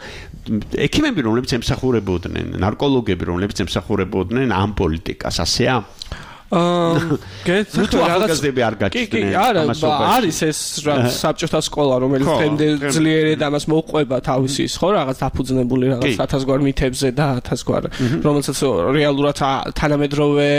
ექიმები რომლებიც ემსახურებოდნენ ნარკოლოგები რომლებიც ემსახურებოდნენ ამ პოლიტიკას ასეა აა გეტყვით რაღაცები არ გაჩნდნენ. კი, კი, არა, არის ეს საბჭოთა სკოლა, რომელიც დღემდე ძლიერად ამას მოყვება თავისი, ხო, რაღაც დაფუძნებული რაღაც ათასგვარ მითებზე და ათასგვარ, რომელსაც რეალურად თანამედროვე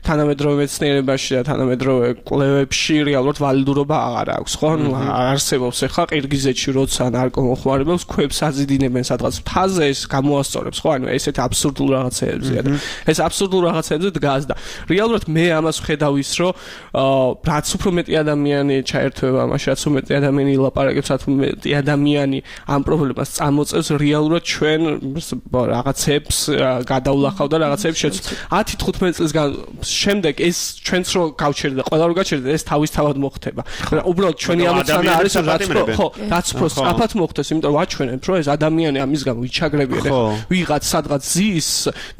თანამედროვე მეცნიერებაში და თანამედროვე კვლევებში რეალურად ვალიდურობა აღარ აქვს, ხო? ნუ არსებობს ახლა ყირგიზეთში როცა ნარკომოხმარებელს ქვებს აზიდინებენ სადღაც მთაზე ეს გამოასწორებს, ხო? ანუ ესეთ აბსურდულ რაღაცეებზია და ეს აბსურდულ რაღაცეებზე დგას და რეალურად მე ამას ვხედავ ის რომ რაც უფრო მეტი ადამიანი ჩაერთვება ამაში, რაც უფრო მეტი ადამიანი ილაპარაკებს, რაც უფრო მეტი ადამიანი ამ პრობლემას წამოწევს, რეალურად ჩვენ რაღაცებს გადავლახავ და რაღაცებს შეცვლა. ათი თხუთმეტი წლის შემდეგ ეს ჩვენც რო გავჩერდა, ყველა რო გაჩერდა, ეს თავისთავად მოხდება. უბრალოდ ჩვენი ამოცანა არის რომ რაც უფრო ხო, რაც უფრო სწრაფად მოხდეს, იმიტომ რომ ვაჩვენებთ რომ ეს ადამიანი ამის გამო იჩაგრებიან. ვიღაც სადღაც ზის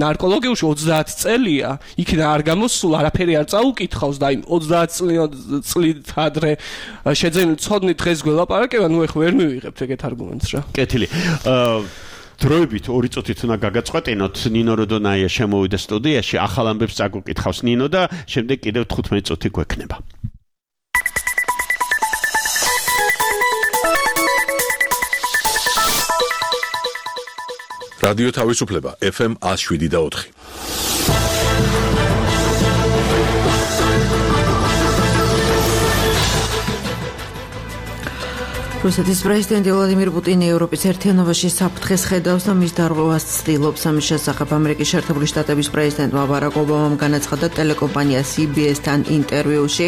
ნარკოლოგიაში ოცდაათი წელია, იქიდან არ გამოსულა არაფერი არ წაუკითხავს და იმ ოცდაათი წლით ადრე შეძენილი ცოდნით დღეს გველაპარაკება, ნუ ეხლა ვერ მივიღებთ ეგეთ არგუმენტს რა. კეთილი. აა დროებით ორი წუთით უნდა გაგაწყვეტინოთ, ნინო როდონაია შემოვიდა სტუდიაში, ახალ ამბებს წაგუკითხავს ნინო და შემდეგ კიდევ თხუთმეტი წუთი გვექნება. რადიო თავისუფლება ეფ ემ ნული შვიდი და ოთხი. რუსეთის პრეზიდენტი ვლადიმირ პუტინი ევროპის ერთიანობაში საფრთხეს ხედავს და მის დარღვევას ცდილობს. ამის შესახებ ამერიკის შეერთებული შტატების პრეზიდენტმა ბარაკ ობამამ განაცხადა ტელეკომპანია C B S-თან ინტერვიუში,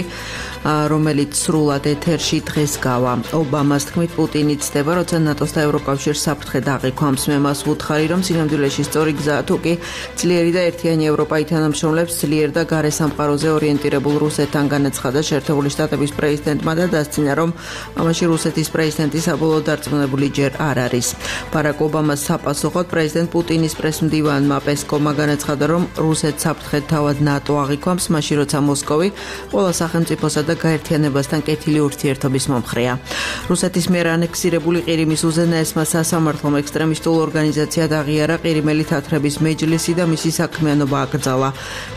რომელიც სრულად ეთერში დღეს გავა. ობამას თქმით, პუტინი ცდება, როცა ნატოს და ევროკავშირს საფრთხე დაღიქვამს. მე მას ვუთხარი, რომ სინამდვილეში სწორი გზაა, თუკი ძლიერი და ერთიანი ევროპა ითანამშრომლებს ძლიერ და გარე სამყაროზე ორიენტირებულ რუსეთთან, განაცხადა შეერთებული შტატების პრეზიდენტმა და დასცინა, რომ ამაში რუსეთის პრეზიდენტი საბოლოოდ დარწმუნებული ჯერ არ არის. ბარაკ ობამას საპასუხოდ პრეზიდენტ პუტინის პრესმდივანმა პესკოვმა განაცხადა, რომ რუსეთს საფრთხე თავად ნატო აღიქვამს, მაშინ როცა მოსკოვი ყველა სახელმწიფოსა და გაერთიანებასთან კეთილი ურთიერთობის მომხრეა. რუსეთის მიერ ანექსირებული ყირიმის უზენაესმა სასამართლომ ექსტრემისტულ ორგანიზაციად აღიარა ყირიმელი თათრების მეჯლისი და მისი საქმიანობა აკრძალა.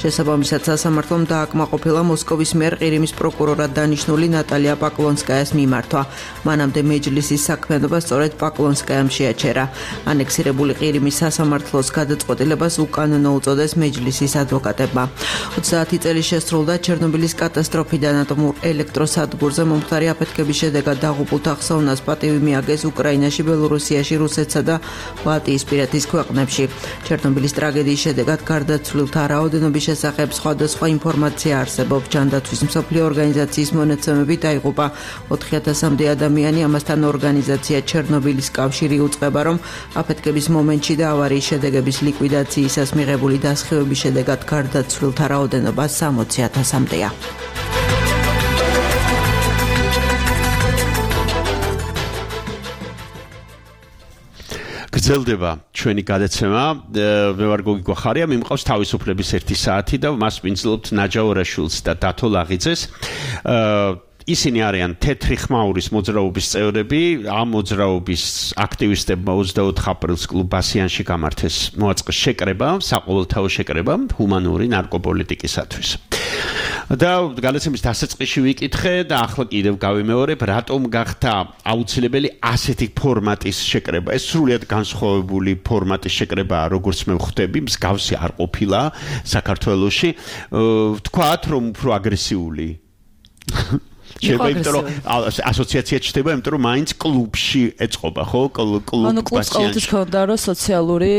შესაბამისად სასამართლომ დააკმაყოფილა მოსკოვის მიერ ყირიმის პროკურორად დანიშნული ნატალია პაკლონსკაიას მიმართვა. მანამდე მეჯლისის საქმიანობა სწორედ პაკლონსკაიამ შეაჩერა. ანექსირებული ყირიმის სასამართლოს გადაწყვეტილებას უკანონო უწოდეს მეჯლისის ადვოკატებმა. ოცდაათი წელი შესრულდა ჩერნობილის კატასტროფიდან ატომურ ელექტროსადგურზე მომხდარი აფეთქების შედეგად დაღუპულთა ხსოვნას პატივი მიაგეს უკრაინაში, ბელორუსიაში, რუსეთსა და ბალტიისპირეთის ქვეყნებში. ჩერნობილის ტრაგედიის შედეგად გარდაცვლილთა რაოდენობის შესახებ სხვადასხვა ინფორმაცია არსებობს. ჯანდაცვის მსოფლიო ორგანიზაციის მონაცემებით დაიღუპა ოთხი ათასამდე ადამიანი, ამასთან ორგანიზაცია ჩერნობილის კავშირი უწყება, რომ აფეთქების მომენტში და ავარიის შედეგების ლიკვიდაციისას მიღებული დასხივების შედეგად გარდაცვლილთა რაოდენობა სამოცი ათასამდეა. გრძელდება ჩვენი გადაცემა. მე ვარ გოგი გვახარია, მიმყავს თავისუფლების ერთი საათი და მას ვინძლობთ ნაჯა ორაშვილს და დათო ლაღიძეს. ისინი არიან თეთრი ხმაურის მოძრაობის წევრები. ამ მოძრაობის აქტივისტებმა ოცდაოთხ აპრილს კლუბ ბასიანში გამართეს მოაწყეს შეკრება, საყოველთაო შეკრება ჰუმანური ნარკოპოლიტიკისათვის. და გადაცემის დასაწყისში ვიკითხე და ახლა კიდევ გავიმეორებ, რატომ გახდა აუცილებელი ასეთი ფორმატის შეკრება. ეს სრულიად განსხვავებული ფორმატის შეკრებაა, როგორც მე ვხვდები, მსგავსი არ ყოფილა საქართველოში. ვთქვათ, რომ უფრო აგრესიული შეიძლება, იმიტომ რომ ასოციაცია ჩდება, იმიტომ რომ მაინც კლუბში ეწყობა, ხო? კლუბ ბასიანში. ანუ კლუბს ყოველთვის ქონდა რომ სოციალური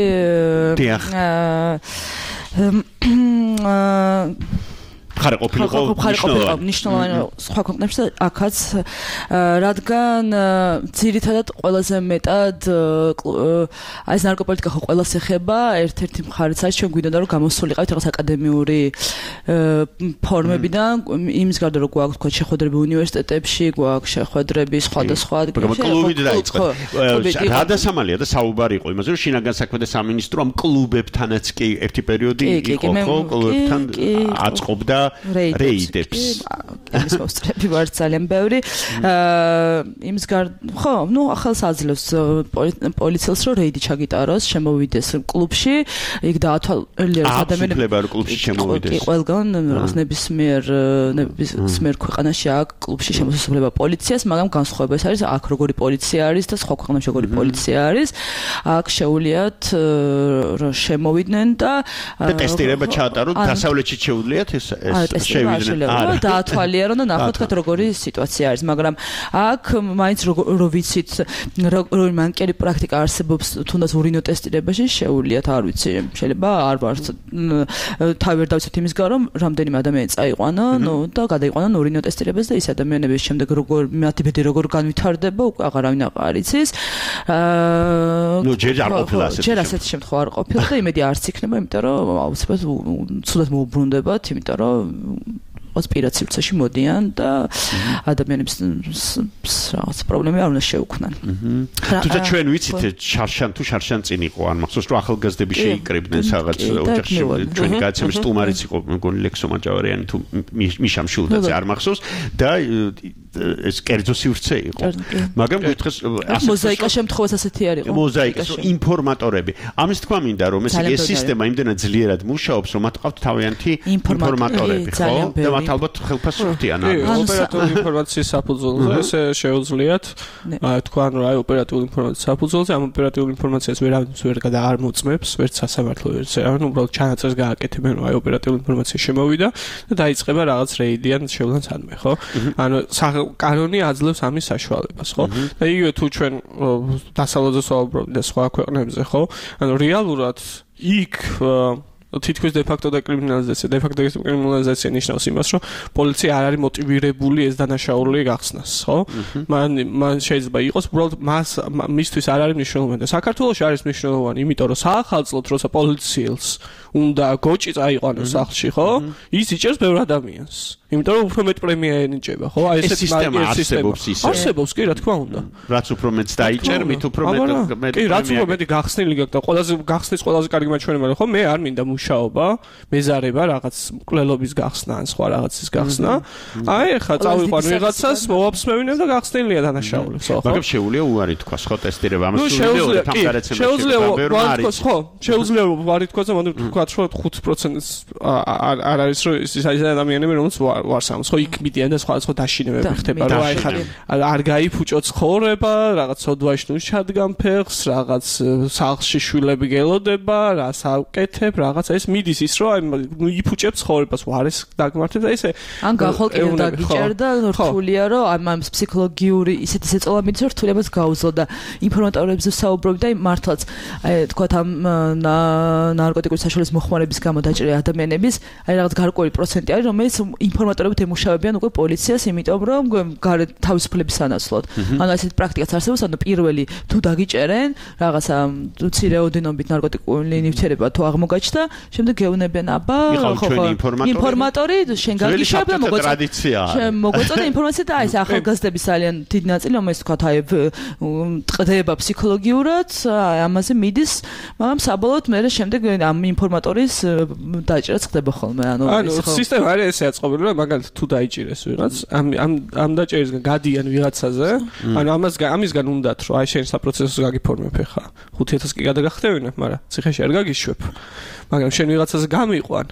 აა ხარ ყოფილიყო ნიშნულოვანი სხვა ქვეყნებში აქაც, რადგან ძირითადად ყველაზე მეტად აი ეს ნარკოპოლიტიკა ხო ყველას ეხება, ერთ-ერთი მხარიც არის ჩვენ გვინდოდა რომ გამოსულიყავით რაღაც აკადემიური ფორმებიდან, იმის გარდა რომ გვაქვს თქვა შეხვედრები უნივერსიტეტებში, გვაქვს შეხვედრები სხვადასხვა ადგილებში. კლუბით დაიწყო. რა დასამალია და საუბარი იყო იმაზე, რომ შინაგან საქმეთა სამინისტრო ამ კლუბებთანაც კი ერთი პერიოდი იყო, ხო? კლუბებთან აწყობდა რეიდებს. ეს მოსწრები ვარ ძალიან ბევრი. იმის გარდა ხო, ნუ ახალს აძლევს პოლიციელს რომ რეიდი ჩაგიტაროს, შემოვიდეს კლუბში, იქ დაათვალიეროს ადამიანები კლუბში შემოვიდეს. კი, ყველგან რაღაც ნებისმიერ ნებისმიერ ქვეყანაში აქვს კლუბში შემოსასვლელობა პოლიციას, მაგრამ განსხვავება ეს არის, აქ როგორი პოლიცია არის და სხვა ქვეყნებში როგორი პოლიცია არის. აქ შეუძლიათ რომ შემოვიდნენ და ტესტირება ჩაატარონ, დასავლეთში შეუძლიათ ეს შევიდნენ. არა, დაათვალიერონ და ნახოთ თქვა როგორი სიტუაცია არის, მაგრამ აქ მაინც რო ვიცით როგორი მანკერი პრაქტიკა არსებობს თუნდაც ურინო ტესტირებაში, შეუძლიათ, არ ვიცი, შეიძლება არ ვარ თავი ვერ დავიცოთ იმის გამო, რომ რამდენიმე ადამიანი წაიყვანა, ნუ და გადაიყვანან ურინო ტესტირებას და ის ადამიანების შემდეგ როგორ მათი ბედი როგორ განვითარდება, უკვე აღარავინ აღარ იცის. აა ნუ ჯერ არ ყოფილა ასეთი. ჯერ ასეთი შემთხვევა არ ყოფილა და იმედი არც იქნება, იმიტომ რომ აუცილებლად ცუდად მოუბრუნდებათ, იმიტომ რომ ოსპირაციებში მოდიან და ადამიანებს რაღაც პრობლემები არ უნდა შეუქმნან. თუმცა ჩვენ ვიცით შარშან თუ შარშან წინ იყო, ან მახსოვს რომ ახალგაზრდები შეიკრიბნენ რაღაც ოჯახში. ჩვენი გადაცემის სტუმარიც იყო, მეგონი ლექსო მაჭავარიანი თუ მიშა მშულდაძე, არ მახსოვს და ეს კერძო სივრცე იყო. მაგრამ გითხეს მოზაიკა შემთხვევას ასეთი არ იყო. მოზაიკა ინფორმატორები. ამის თქვა მინდა რომ ეს ეს სისტემა იმდენად ძლიერად მუშაობს, რომ მათ ყავთ თავიანთი ინფორმატორები, ხო? და მათ ალბათ ხელფასს ხვდიან. ოპერატიული ინფორმაციის საფუძველზე ესე შეუძლიათ თქვან რომ აი ოპერატიული ინფორმაციის საფუძველზე ამ ოპერატიული ინფორმაციას ვერავინ ვერ გადაარმოწმებს, ვერც სასამართლო ვერც ანუ უბრალოდ ჩანაწერს გააკეთებენ რომ აი ოპერატიული ინფორმაცია შემოვიდა და დაიწყება რაღაც რეიდი ან შევლან სადმე, ხო? ანუ კანონი აძლევს ამის საშუალებას, ხო? და იგივე თუ ჩვენ დასავლეთზე ვსაუბრობთ და სხვა ქვეყნებზე, ხო? ანუ რეალურად იქ თითქოს de facto დეკრიმინალიზაცია, de facto დეკრიმინალიზაცია ნიშნავს იმას, რომ პოლიცია არ არის მოტივირებული ეს დანაშაული გახსნას, ხო? მან მან შეიძლება იყოს, უბრალოდ მას მისთვის არ არის მნიშვნელოვანი. საქართველოში არის მნიშვნელოვანი, იმიტომ რომ საახალწლოდ როცა პოლიციელს უნდა გოჭი წაიყვანოს სახლში, ხო? ის იჭერს ბევრ ადამიანს. იმიტომ რომ უფრო მეტ პრემია ენიჭება, ხო? აი ესეთი სისტემა არსებობს ისე. არსებობს, კი, რა თქმა უნდა. რაც უფრო მეტს დაიჭერ, მით უფრო მეტ კი, რაც უფრო მეტი გახსნილი გაქვს და ყველაზე გახსნის ყველაზე კარგი მაჩვენებელი, ხო? მე არ მინდა მუშაობა, მეზარება, რაღაც მკვლელობის გახსნა ან სხვა რაღაცის გახსნა. აი, ეხლა წავიყვან ვიღაცას, მოვაფსმევინებ და გახსნილია დანაშაულებს, ხო? მაგრამ შეუძლია უარი თქვას, ხო, ტესტირება ამას შეუძლია თამგარაცემაში. შეუძლია უარი თქვას, ხო? შეუძლია უარი თქვას და მოდი ვთქვათ, რომ ხუთ პროცენტს არ არის რომ ის ადამიანები, რომელიც ვარსამს, ხო, იქ მიდიან და სხვა სხვა დაშინებები ხდება, რომ აი ხარ არ გაიფუჭო ცხოვრება, რაღაც სოდვაში ნუ ჩადგან ფეხს, რაღაც სახლში შვილები გელოდება, რას ავკეთებ, რაღაც ეს მიდის ის, რომ აი ნუ იფუჭებ ცხოვრებას, ვარეს დაგმართებ და ესე ან გახოლკინებ დაგიჭერდა, რთულია, რომ ამ ფსიქოლოგიური ისეთი შეწოლა მიდის, რომ რთულიებას გაუძლო და ინფორმატორებზე საუბრობ და მართლაც აი თქვათ ამ ნარკოტიკული საშუალების მოხმარების გამო დაჭრილი ადამიანების აი რაღაც გარკვეული პროცენტი არის, რომელიც ინფორმატორებით ემუშავებიან უკვე პოლიციას, იმიტომ რომ გარეთ თავისუფლების სანაცვლოდ. ანუ ესეთი პრაქტიკაც არსებობს, ანუ პირველი თუ დაგიჭერენ რაღაცა მცირე ოდენობით ნარკოტიკული ნივთიერება თუ აღმოგაჩნდა, შემდეგ გეუნებიან აბა ხო ხო ინფორმატორი შენ გაგიშავ და მოგოწოდა. შენ მოგოწოდა ინფორმაცია და აი ეს ახალგაზრდების ძალიან დიდი ნაწილი, რომელიც თქვა აი ტყდება ფსიქოლოგიურად, ამაზე მიდის, მაგრამ საბოლოოდ მე შემდეგ ამ ინფორმატორის დაჭერაც ხდება ხოლმე. ანუ ანუ სისტემა არის ესე აწყობილი, რომ მაგალითად თუ დაიჭირეს ვიღაც, ამ ამ ამ დაჭერისგან გადიან ვიღაცაზე, ანუ ამას ამისგან უნდათ, რომ აი შენ საპროცესოს გაგიფორმებ ხა. ხუთი ათასი კი გადაგახტევინებ, მაგრამ ციხეში არ გაგიშვებ. მაგრამ შენ ვიღაცაზე გამიყვან,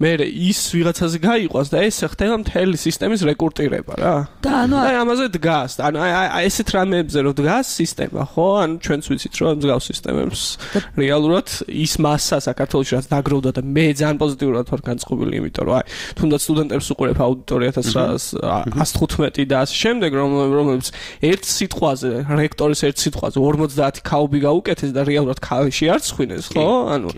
მე ის ვიღაცაზე გაიყვანს და ეს ხდება მთელი სისტემის რეკრუტირება რა. და ანუ აი ამაზე დგას, ანუ აი ესეთ რამეებზე რომ დგას სისტემა, ხო? ანუ ჩვენც ვიცით რომ დგას სისტემებს. რეალურად ის მასა საქართველოში რაც დაგროვდა და მე ძალიან პოზიტიურად ვარ განწყობილი, იმიტომ რომ აი თუნდაც სტუდენტებს უყურებ აუდიტორიათაც ას თხუთმეტი და ასე შემდეგ, რომლებიც ერთ სიტყვაზე, რექტორის ერთ სიტყვაზე ორმოცდაათი ქაუბი გაუკეთეს და რეალურად ქალიში არ ცხვინეს, ხო? ანუ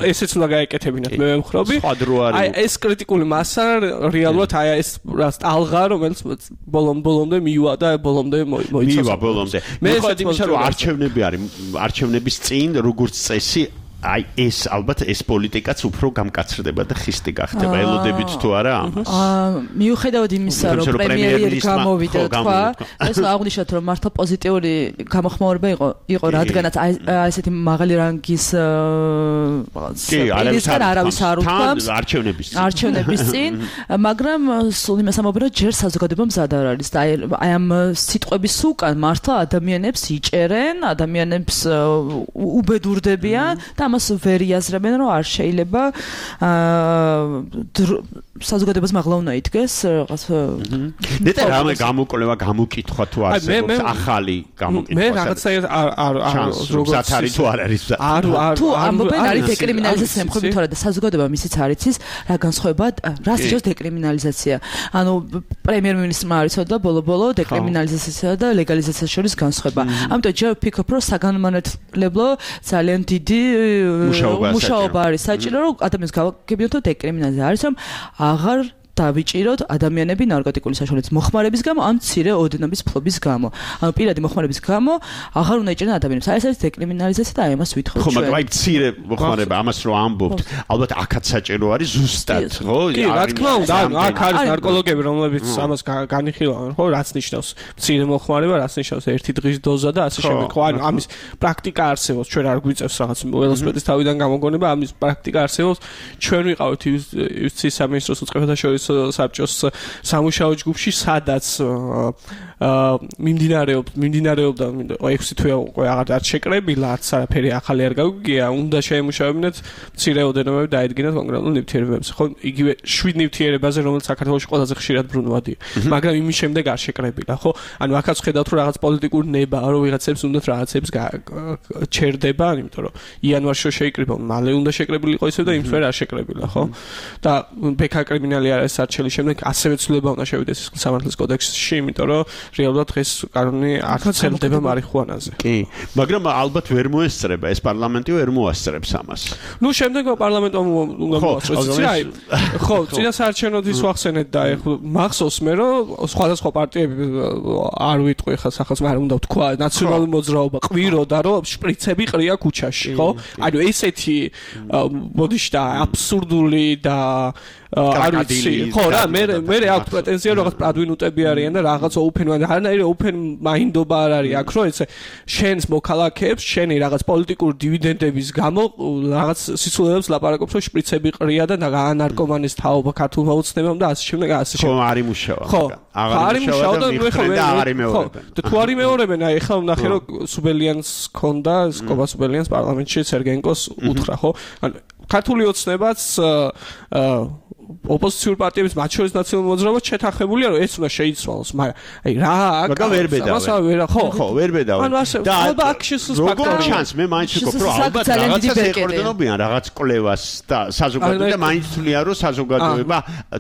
ესეც უნდა გაეკეთებინათ მე ვემხრობი. აი ეს კრიტიკული მასა რეალურად აი ეს რას ტალღა, რომელიც ბოლომ ბოლომდე მივა და ბოლომდე მოიცავს. მივა ბოლომდე. მე ხედავ იმისა, რომ არჩევნები არის, არჩევნების წინ როგორც წესი აი ეს ალბათ ეს პოლიტიკაც უფრო გამკაცრდება და ხისტი გახდება. ელოდებით თუ არა ამას? აა მიუხედავად იმისა, რომ პრემიერი გამოვიდა თქვა, ეს აღნიშნოთ, რომ მართლა პოზიტიური გამოხმაურება იყო, იყო რადგანაც აი ესეთი მაღალი რანგის პოლიტიკა არავის არ უთქვამს არჩევნების წინ. არჩევნების წინ, მაგრამ სულ იმას ამბობენ, რომ ჯერ საზოგადოება მზად არ არის და აი ამ სიტყვების უკან მართლა ადამიანებს იჭერენ, ადამიანებს უბედურდებიან და მას ვერ იაზრებენ, რომ არ შეიძლება აა საზოგადოებას მაღლა უნდა იდგეს რაღაც. ნეტა რამე გამოკვლევა, გამოკითხვა თუ არსებობს ახალი გამოკითხვა. მე რაღაცა არ არ როგორც არის თუ არ არის. არ არ თუ ამბობენ არის დეკრიმინალიზაცია, მხოლოდ თორე და საზოგადოება მისიც არ იცის რა განსხვავება, რას ნიშნავს დეკრიმინალიზაცია. ანუ პრემიერ-მინისტრმა არ იცოდა ბოლო-ბოლო დეკრიმინალიზაციასა და ლეგალიზაციას შორის განსხვავება. ამიტომ ჯერ ვფიქრობ, რომ საგანმანათლებლო ძალიან დიდი მუშაობა არის საჭირო, რომ ადამიანს გავაგებინოთ დეკრიმინალიზაცია. არის რომ აღარ დავიჭიროთ ადამიანები ნარკოტიკული საშუალების მოხმარების გამო, ან მცირე ოდენობის ფლობის გამო. ანუ პირადი მოხმარების გამო აღარ უნდა იჭერენ ადამიანებს. აი ეს არის დეკრიმინალიზაცია და აი ამას ვითხოვთ ჩვენ. ხო, მაგრამ აი მცირე მოხმარება, ამას რო ამბობთ, ალბათ აქაც საჭირო არის ზუსტად, ხო? კი, რა თქმა უნდა, ანუ აქ არის ნარკოლოგები, რომლებიც ამას განიხილავენ, ხო? რაც ნიშნავს მცირე მოხმარება, რაც ნიშნავს ერთი დღის დოზა და ასე შემდეგ. ხო, ანუ ამის პრაქტიკა არსებობს, ჩვენ არ გვიწევს რაღაც ველოსიპედის თავიდან გამოგონება, ამის პრაქტიკა არსებობს. ჩვენ ვიყავით იუსტიციის სამინისტროს უწყებათა შორის საბჭოს სამუშაო ჯგუფში, სადაც მიმდინარეობს მიმდინარეობდა ექვსი თვე უკვე აღარ არ შეკრებილა არც არაფერი ახალი არ გაგვიგია უნდა შეემუშავებინათ მცირეოდენობები დაედგინათ კონკრეტულ ნივთიერებებზე ხო იგივე შვიდ ნივთიერებაზე რომელიც საქართველოში ყველაზე ხშირად ბრუნვადია მაგრამ იმის შემდეგ არ შეკრებილა ხო ანუ აქაც ხედავთ რომ რაღაც პოლიტიკური ნება რომ ვიღაცებს უნდათ რაღაცებს ჩერდება იმიტომ რომ იანვარში შეიკრიბა მალე უნდა შეკრებილიყო ისე და იმ თვე არ შეკრებილა ხო და ბექა კრიმინალი არის არჩელის შემდეგ ასევე ცვლილება უნდა შევიდეს სამართლის კოდექსში იმიტომ რომ რეალურად დღეს კანონი არ ცელდება მარიხუანაზე კი მაგრამ ალბათ ვერ მოესწრება ეს პარლამენტი ვერ მოასწრებს ამას ნუ შემდეგ პარლამენტმა უნდა მოასწროს აი ხო წინა საარჩევნოთვის ვახსენეთ და ეხლა მახსოვს მე რომ სხვადასხვა პარტიები არ ვიტყვი ხა სახელს მაგრამ უნდა ვთქვა ნაციონალური მოძრაობა ყვიროდა რომ შპრიცები ყრია ქუჩაში ხო ანუ ესეთი მოდიში და აბსურდული და არ ვიცი ხო რა მე მე აქვს პრეტენზია რაღაც პრადვინუტები არიან და რაღაც ოფენვან არანაირი ოფენ მაინდობა არ არის აქ რომ ესე შენს მოქალაქეებს შენი რაღაც პოლიტიკური დივიდენდების გამო რაღაც სიცოცხლეებს ლაპარაკობს რომ შპრიცები ყრია და ნარკომანის თაობა ქართულმა უცნებამ და ასე შემდეგ ასე შემდეგ ხო არ იმუშავა ხო არ იმუშავა და აღარ იმეორებენ და თუ არ იმეორებენ აი ხა ვნახე რომ სუბელიანს ქონდა სკობა სუბელიანს პარლამენტში სერგენკოს უთხრა ხო ანუ ქართული ოცნებაც ოპოზიციური პარტიების მათ შორის ნაციონალური მოძრაობა შეთანხმებულია რომ ეს უნდა შეიცვალოს მაგრამ აი რა მაგა ვერ ბედავ ხო ხო ვერ ბედავ და ალბათ აქ როგორ ჩანს მე მაინც ვიქნებ რომ ალბათ რაღაცას ეყრდნობიან რაღაც კლევას და საზოგადოება და მაინც თვლიან რომ საზოგადოება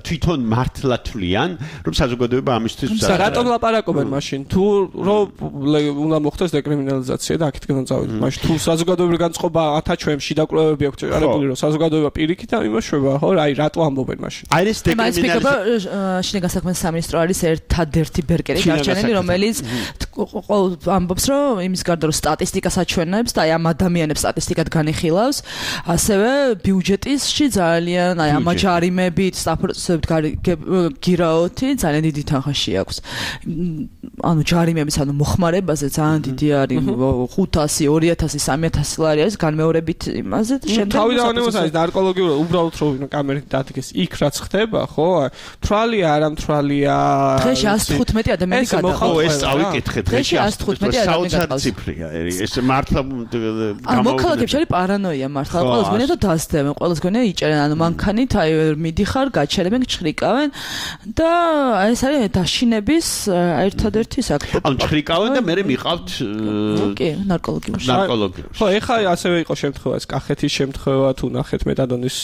თვითონ მართლა თვლიან რომ საზოგადოება ამისთვის და რატომ ლაპარაკობენ მაშინ თუ რომ უნდა მოხდეს დეკრიმინალიზაცია და აქეთ განწავიდეთ მაშინ თუ საზოგადოებრივი განწყობა ათაჩვენში და კვლევები აქვს ჩაყარებული რომ საზოგადოება პირიქით იმაშובה ხო აი რატო ამბობენ აი ეს დეკრიმინალიზაცია შინაგან საქმეთა სამინისტრო არის ერთადერთი ბერკერი დარჩენილი რომელიც ამბობს რომ იმის გარდა რომ სტატისტიკას აჩვენებს და აი ამ ადამიანებს სტატისტიკად განიხილავს ასევე ბიუჯეტში ძალიან აი ამ ჯარიმებით სტაფორდსებით გირაოთი ძალიან დიდი თანხაში აქვს ანუ ჯარიმების ანუ მოხმარებაზე ძალიან დიდი არის ხუთასი ორი ათასი სამი ათასი ლარი არის განმეორებით იმაზე და შემდეგ თავიდანვე არის ნარკოლოგიური უბრალოდ რომ კამერით დადგეს იქ რაც ხდება ხო თრალია არა თრალია დღეში ასი თხუთმეტი ადამიანი გადაყავს ხო ეს წავიკითხე დღეში ასი თხუთმეტი ადამიანი გადაყავს ციფრია ეს მართლა ანუ მოქალაქეებში არის პარანოია მართლა ყველას გონია და დასდებენ ყველას გონია იჭერენ ანუ მანქანით აი მიდიხარ გაჩერებენ ჩხრიკავენ და ეს არის დაშინების ერთადერთი საქმე ანუ ჩხრიკავენ და მე მიყავთ კი ნარკოლოგიაში ნარკოლოგიაში ხო ეხლა ასევე იყო შემთხვევა ეს კახეთის შემთხვევა თუ ნახეთ მეტადონის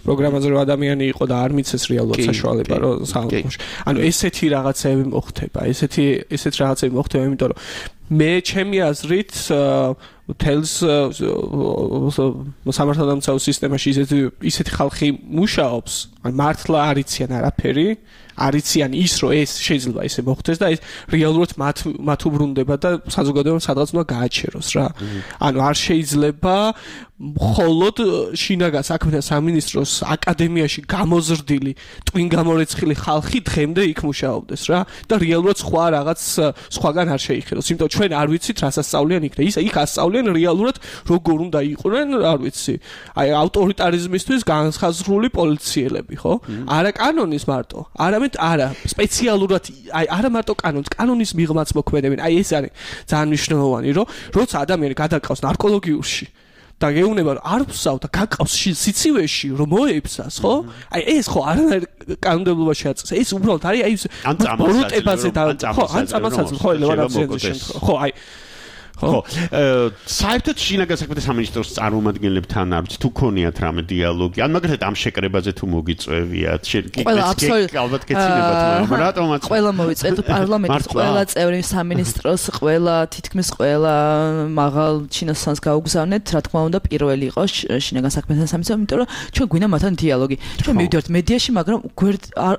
პროგრამაზე რომ ადამიანი იყო და არ მიცეს რეალურად საშუალება რომ საუბრობს. ანუ ესეთი რაღაცები მოხდება, ესეთი ესეთ რაღაცები მოხდება, იმიტომ რომ მე ჩემი აზრით თელს სამართალდამცავ სისტემაში ისეთი ისეთი ხალხი მუშაობს, ან მართლა არიციან არაფერი, არიციან ის რომ ეს შეიძლება ისე მოხდეს და ეს რეალურად მათ მათ უბრუნდება და საზოგადოებამ სადღაც უნდა გააჩეროს რა. ანუ არ შეიძლება მხოლოდ შინაგან საქმეთა სამინისტროს აკადემიაში გამოზრდილი ტვინ გამორეცხილი ხალხი დღემდე იქ მუშაობდეს რა და რეალურად სხვა რაღაც სხვაგან არ შეიხილოს. იმიტომ ჩვენ არ ვიცით რა სასწავლიან იქ და ის იქ ასწავლიან რეალურად როგორ უნდა იყვნენ, არ ვიცი. აი ავტორიტარიზმისთვის განსაზღვრული პოლიციელები, ხო? არა კანონის მარტო, არამედ არა სპეციალურად აი არა მარტო კანონის, კანონის მიღმაც მოქმედებენ. აი ეს არის ძალიან მნიშვნელოვანი, რომ როცა ადამიანი გადაყავს ნარკოლოგიურში და გეუბნება რომ არ ვსავ და გაკავს სიცივეში რომ მოეფსას ხო? აი ეს ხო არანაირ კანონმდებლობაში აწეს. ეს უბრალოდ არის აი ან წამოსაძლებელზე და ხო ან წამოსაძლებელზე ხო ელევარაციაში შემთხვევა. ხო აი ხო საერთოდ შინაგან საქმეთა სამინისტროს წარმომადგენლებთან არ ვიცი თუ ქონიათ რამე დიალოგი ან მაგალითად ამ შეკრებაზე თუ მოგიწევიათ ალბათ გეცინებათ მაგრამ რატომაც ყველა მოვიწევთ პარლამენტის ყველა წევრი სამინისტროს ყველა თითქმის ყველა მაღალ ჩინოსანს გაუგზავნეთ რა თქმა უნდა პირველი იყოს შინაგან საქმეთა სამინისტრო იმიტომ რომ ჩვენ გვინდა მათთან დიალოგი ჩვენ მივიდივართ მედიაში მაგრამ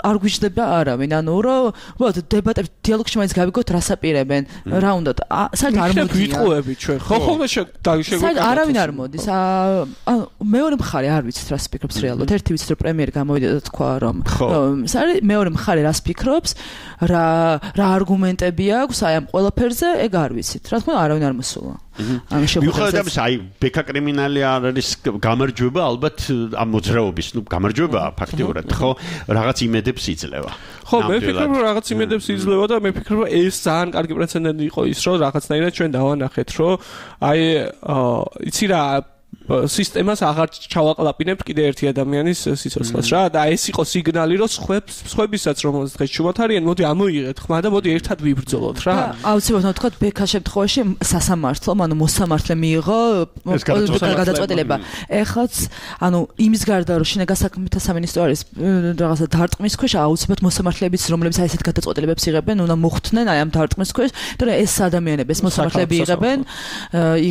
არ გვიждდება არავინ ანუ რომ უბრალოდ დებატებში დიალოგში მაინც გავიგოთ რას აპირებენ რა უნდა საერთოდ არ მოდი ვიტყუები ჩვენ ხო ხოლმე შეგვიძლია არავინ არ მოდის ანუ მეორე მხარე არ ვიცით რას ფიქრობს რეალურად ერთი ვიცით რომ პრემიერი გამოვიდა და თქვა რომ სარი მეორე მხარე რას ფიქრობს რა რა არგუმენტები აქვს აი ამ ყველაფერზე ეგ არ ვიცით რა თქმა უნდა არავინ არ მოსულა მიუხედავად ამისა აი ბექა კრიმინალი არის გამარჯვება ალბათ ამ მოძრაობის ნუ გამარჯვება ფაქტიურად ხო რაღაც იმედებს იძლევა ხო, მე ვფიქრობ, რომ რაღაც იმედებს იძლევა და მე ვფიქრობ, რომ ეს ძალიან კარგი პრეცედენტი იყო ის, რომ რაღაცნაირად ჩვენ დავანახეთ, რომ აი იცი რა სისტემას აღარ ჩავაყლაპინებთ კიდე ერთი ადამიანის სიცოცხლეს რა და ეს იყო სიგნალი რომ სხვებს სხვებისაც რომელსაც დღეს ჩუმად არიან მოდი ამოიღეთ ხმა და მოდი ერთად ვიბრძოლოთ რა აუცილებლად თქვა ბექას შემთხვევაში სასამართლო ანუ მოსამართლე მიიღო გადაწყვეტილება ეხლაც ანუ იმის გარდა რომ შინაგან საქმეთა სამინისტრო არის რაღაცა დარტყმის ქვეშ აუცილებლად მოსამართლეებიც რომლებიც აი ესეთ გადაწყვეტილებებს იღებენ უნდა მოხვდნენ აი ამ დარტყმის ქვეშ და ეს ადამიანები ეს მოსამართლეები იღებენ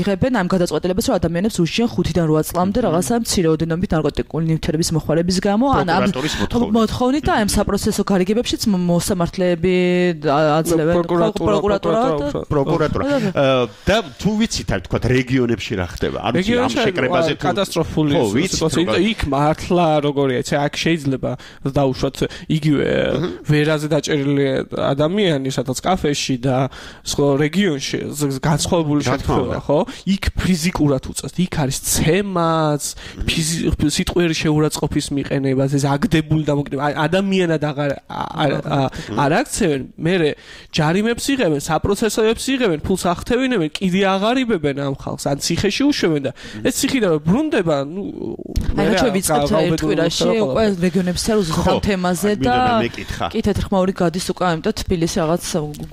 იღებენ ამ გადაწყვეტილებას რომ ადამიანებს უშიან ხუთიდან რვა წლამდე რაღაცა მცირეოდენობით ნარკოტიკული ნივთიერების მოხმარების გამო ან ამ მოთხოვნით და ამ საპროცესო გარიგებებშიც მოსამართლეები აძლევენ პროკურატურა პროკურატურა და თუ ვიცით არ თქვა რეგიონებში რა ხდება არ ვიცი ამ შეკრებაზე კატასტროფული სიტუაცია იქ მართლა როგორია იცი აქ შეიძლება დაუშვათ იგივე ვერაზე დაჭერილი ადამიანი სადაც კაფეში და სხვა რეგიონში განსხვავებული შემთხვევაა ხო იქ ფიზიკურად უწევთ იქ არის ცემაც სიტყვიერი შეურაცხყოფის მიყენებას ეს აგდებული დამოკიდება ადამიანად აღარ არ აქცევენ მე ჯარიმებს იღებენ საპროცესოებს იღებენ ფულს ახთევინებენ კიდე აღარიბებენ ამ ხალხს ან ციხეში უშვებენ და ეს ციხიდან ბრუნდება ნუ აი რა ვიცით ერთ კვირაში უკვე რეგიონების სერვიზით ამ თემაზე და კი თეთრხმაური გადის უკვე ამიტომ თბილისი რაღაც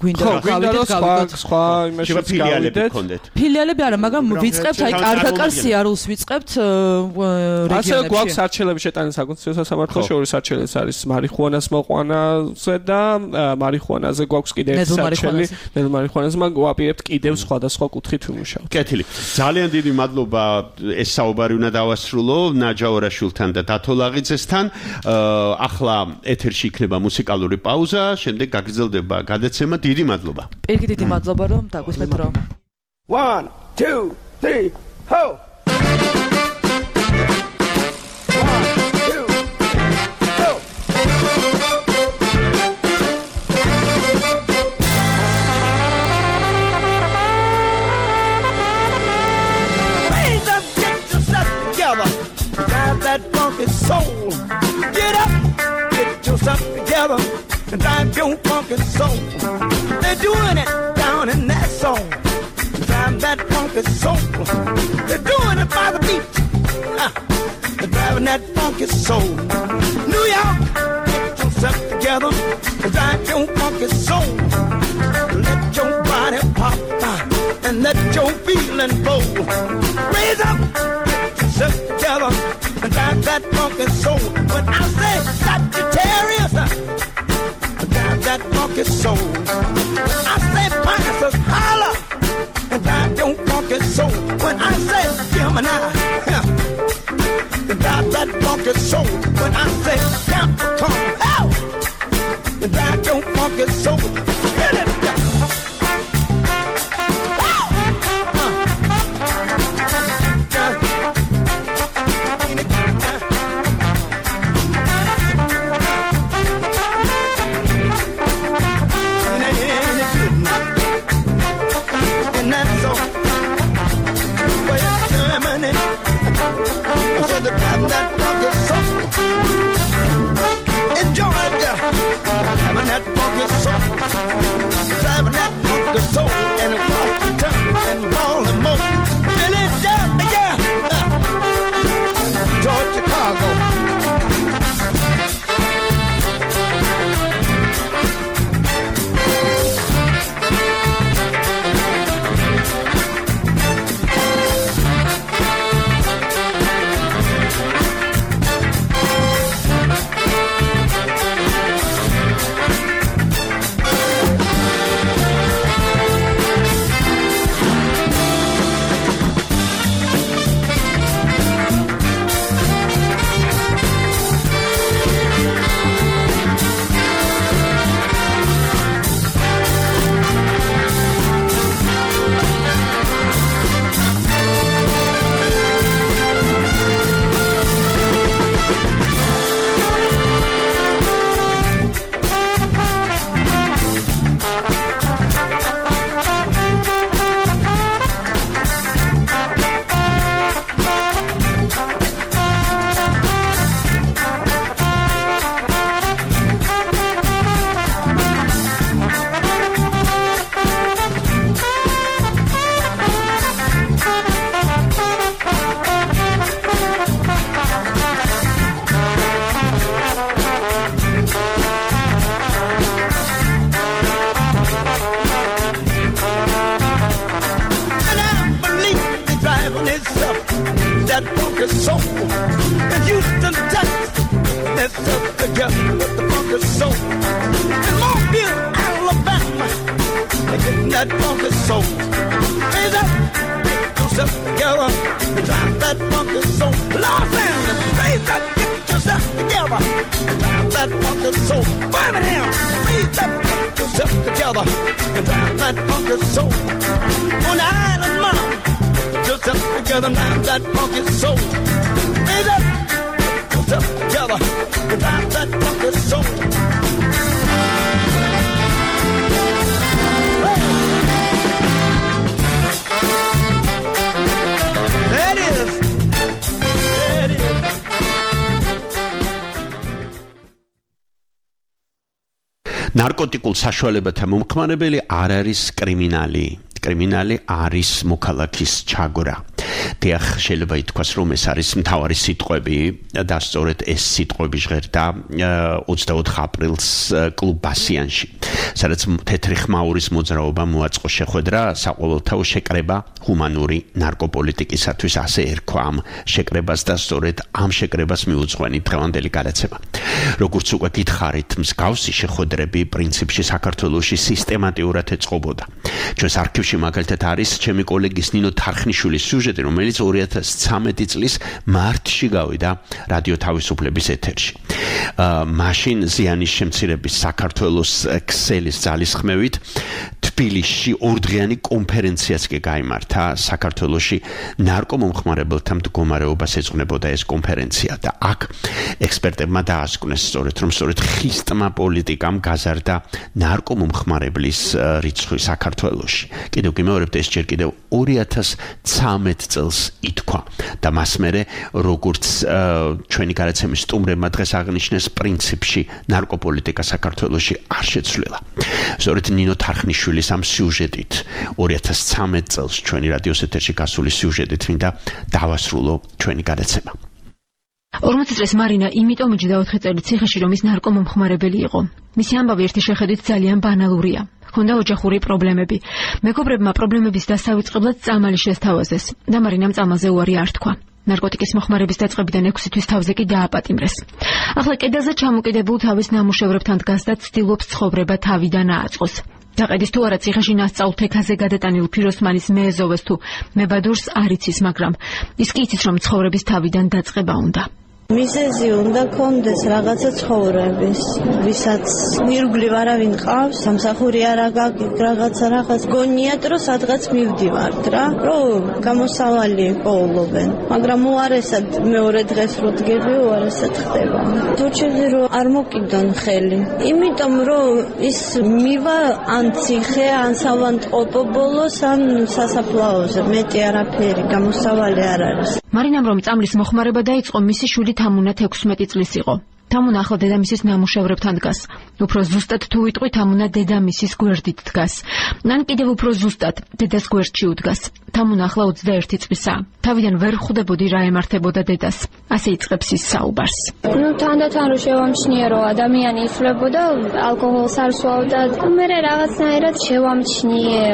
გვინდა გავიდეთ გავიდეთ სხვა იმაში გავიდეთ ფილიალები არა მაგრამ ვიწყებთ აი კარგაკარს სიარულს ვიწყებთ რეგიონებში. ასე გვაქვს არჩელები შეტანის საკონსტიტუციო სასამართლოში ორი არჩელიც არის მარიხუანას მოყვანაზე და მარიხუანაზე გვაქვს კიდე ერთი არჩელი. ნელ მარიხუანაზე მაგ ვაპირებთ კიდევ სხვადასხვა კუთხით ვიმუშავოთ. კეთილი. ძალიან დიდი მადლობა ეს საუბარი უნდა დავასრულო ნაჯაორაშვილთან და დათო ლაღიძესთან. ახლა ეთერში იქნება მუსიკალური პაუზა, შემდეგ გაგრძელდება გადაცემა. დიდი მადლობა. პირიქით დიდი მადლობა რომ დაგვისმენთ რომ one two three ho that funky soul. Get up, get yourself together, and drive your funky soul. They're doing it down in that song. Drive that funky soul. They're doing it by the beat. Uh, they're driving that funky soul. New York, get yourself together, and drive your funky soul. Let your body pop uh, and let your feeling flow. Raise up, get yourself together. And drive that funky soul. When I say Sagittarius, drive that funky soul. When I say Pisces, holler, and drive your funky soul. When I say Gemini, drive that funky soul. When I say Capricorn, hell, drive your funky soul. Hit it. that funky soul. In Houston, Texas, let's up together with the funky soul. In Mobile, Alabama, they're getting that funky soul. Raise up, get yourself together, drive that funky soul. Los Angeles, raise up, get yourself together, drive that funky soul. Birmingham, raise up, get yourself together, and drive that funky soul. On the island, mom, yourself together, drive that funky soul. Raise up, get yourself together, and drive that funky soul. There it is. There it is. ნარკოტიკულ საშუალებათა მომხმარებელი არ არის კრიმინალი. კრიმინალი არის მოქალაქის ჩაგვრა. დიახ, შეიძლება ითქვას, რომ ეს არის მთავარი სიტყვები და სწორედ ეს სიტყვები ჟღერდა ოცდაოთხ აპრილს კლუბ ბასიანში, სადაც თეთრი ხმაურის მოძრაობა მოაწყო შეხვედრა საყოველთაო შეკრება ჰუმანური ნარკოპოლიტიკისათვის, ასე ერქვა ამ შეკრებას და სწორედ ამ შეკრებას მიუძღვენი დღევანდელი გადაცემა. როგორც უკვე გითხარით, მსგავსი შეხვედრები პრინციპში საქართველოში სისტემატიურად ეწყობოდა. ჩვენს არქივში მაგალითად არის ჩემი კოლეგის ნინო თარხნიშვილის სიუჟეტი, რომელიც ორი ათას ცხრამეტი წლის მარტში გავიდა რადიო თავისუფლების ეთერში. მაშინ ზიანის შემცირების საქართველოს ქსელის ძალისხმევით თბილისში ორდღიანი კონფერენციაც კი გაიმართა საქართველოში ნარკომომხმარებელთა მდგომარეობას ეძღვნებოდა ეს კონფერენცია და აქ ექსპერტებმა დაასკვნეს სწორედ რომ სწორედ ხისტმა პოლიტიკამ გაზარდა ნარკომომხმარებლის რიცხვი საქართველოში. კიდევ გიმეორებთ, ეს ჯერ კიდევ ორი ათას ცხრამეტ წელს ითქვა და მას მერე როგორც ჩვენი გადაცემის სტუმრებმა დღეს აღნიშნეს, პრინციპში ნარკოპოლიტიკა საქართველოში არ შეცვლილა. სწორედ ნინო თარხნიშვილის ამ სიუჟეტით ორი ათას ცხრამეტ წელს ჩვენი რადიოს ეთერში გასული სიუჟეტით მინდა დავასრულო ჩვენი გადაცემა. ორმოცი წლის მარინა იმიტომ მიჯდა ოთხი წელი ციხეში, რომ ის ნარკომომხმარებელი იყო. მისი ამბავი ერთი შეხედვით ძალიან ბანალურია. ჰქონდა ოჯახური პრობლემები. მეგობრებმა პრობლემების დასავიწყებლად წამალი შესთავაზეს და მარინამ წამალზე უარი არ თქვა. ნარკოტიკის მოხმარების დაწყებიდან ექვსი თვის თავზე კი დააპატიმრეს. ახლა კედელზე ჩამოკიდებულ თავის ნამუშევრებთან დგას და ცდილობს ცხოვრება თავიდან აწყოს. დაყედის თუ არა ციხეში ნასწავლ თექაზე გადატანილ ფიროსმანის მეეზოვეს თუ მებადურს არ იცის, მაგრამ ის კი იცის, რომ ცხოვრების თავიდან დაწყება უნდა. მიზეზი უნდა კონდეს რაღაცა ცხოვრების, ვისაც ირგვლივ არავინ ყავს, სამსახური არ აგაკი, რაღაცა რაღაც გონიათ, რომ სადღაც მივდივართ რა, რომ გამოსავალი პოულობენ. მაგრამ უარესად მეორე დღეს რო დგები, უარესად ხდება. თორჩეზე რომ არ მოკიდონ ხელი. იმიტომ რომ ის მივა ან ციხე, ან სავანტყოფო ბოლოს, ან სასაფლაოზე, მეტი არაფერი, გამოსავალი არ არის. მარინამ რომ წამლის მოხმარება დაიწყო, მისი შვილი თამუნა თექვსმეტი წლის იყო. თამუნა ახლა დედამისის ნამუშევრებთან დგას. უფრო ზუსტად თუ ვიტყვი, თამუნა დედამისის გვერდით დგას. ან კიდევ უფრო ზუსტად, დედას გვერდში უდგას. თამუნა ახლა ოცდაერთი წლისაა. თავიდან ვერ ხვდებოდი რა ემართებოდა დედას. ასე იწყებს ის საუბარს. ნუ თანდათან რომ შევამჩნიე, რომ ადამიანი იცვლებოდა, ალკოჰოლს არ სვავდა, მე რაღაცნაირად შევამჩნიე,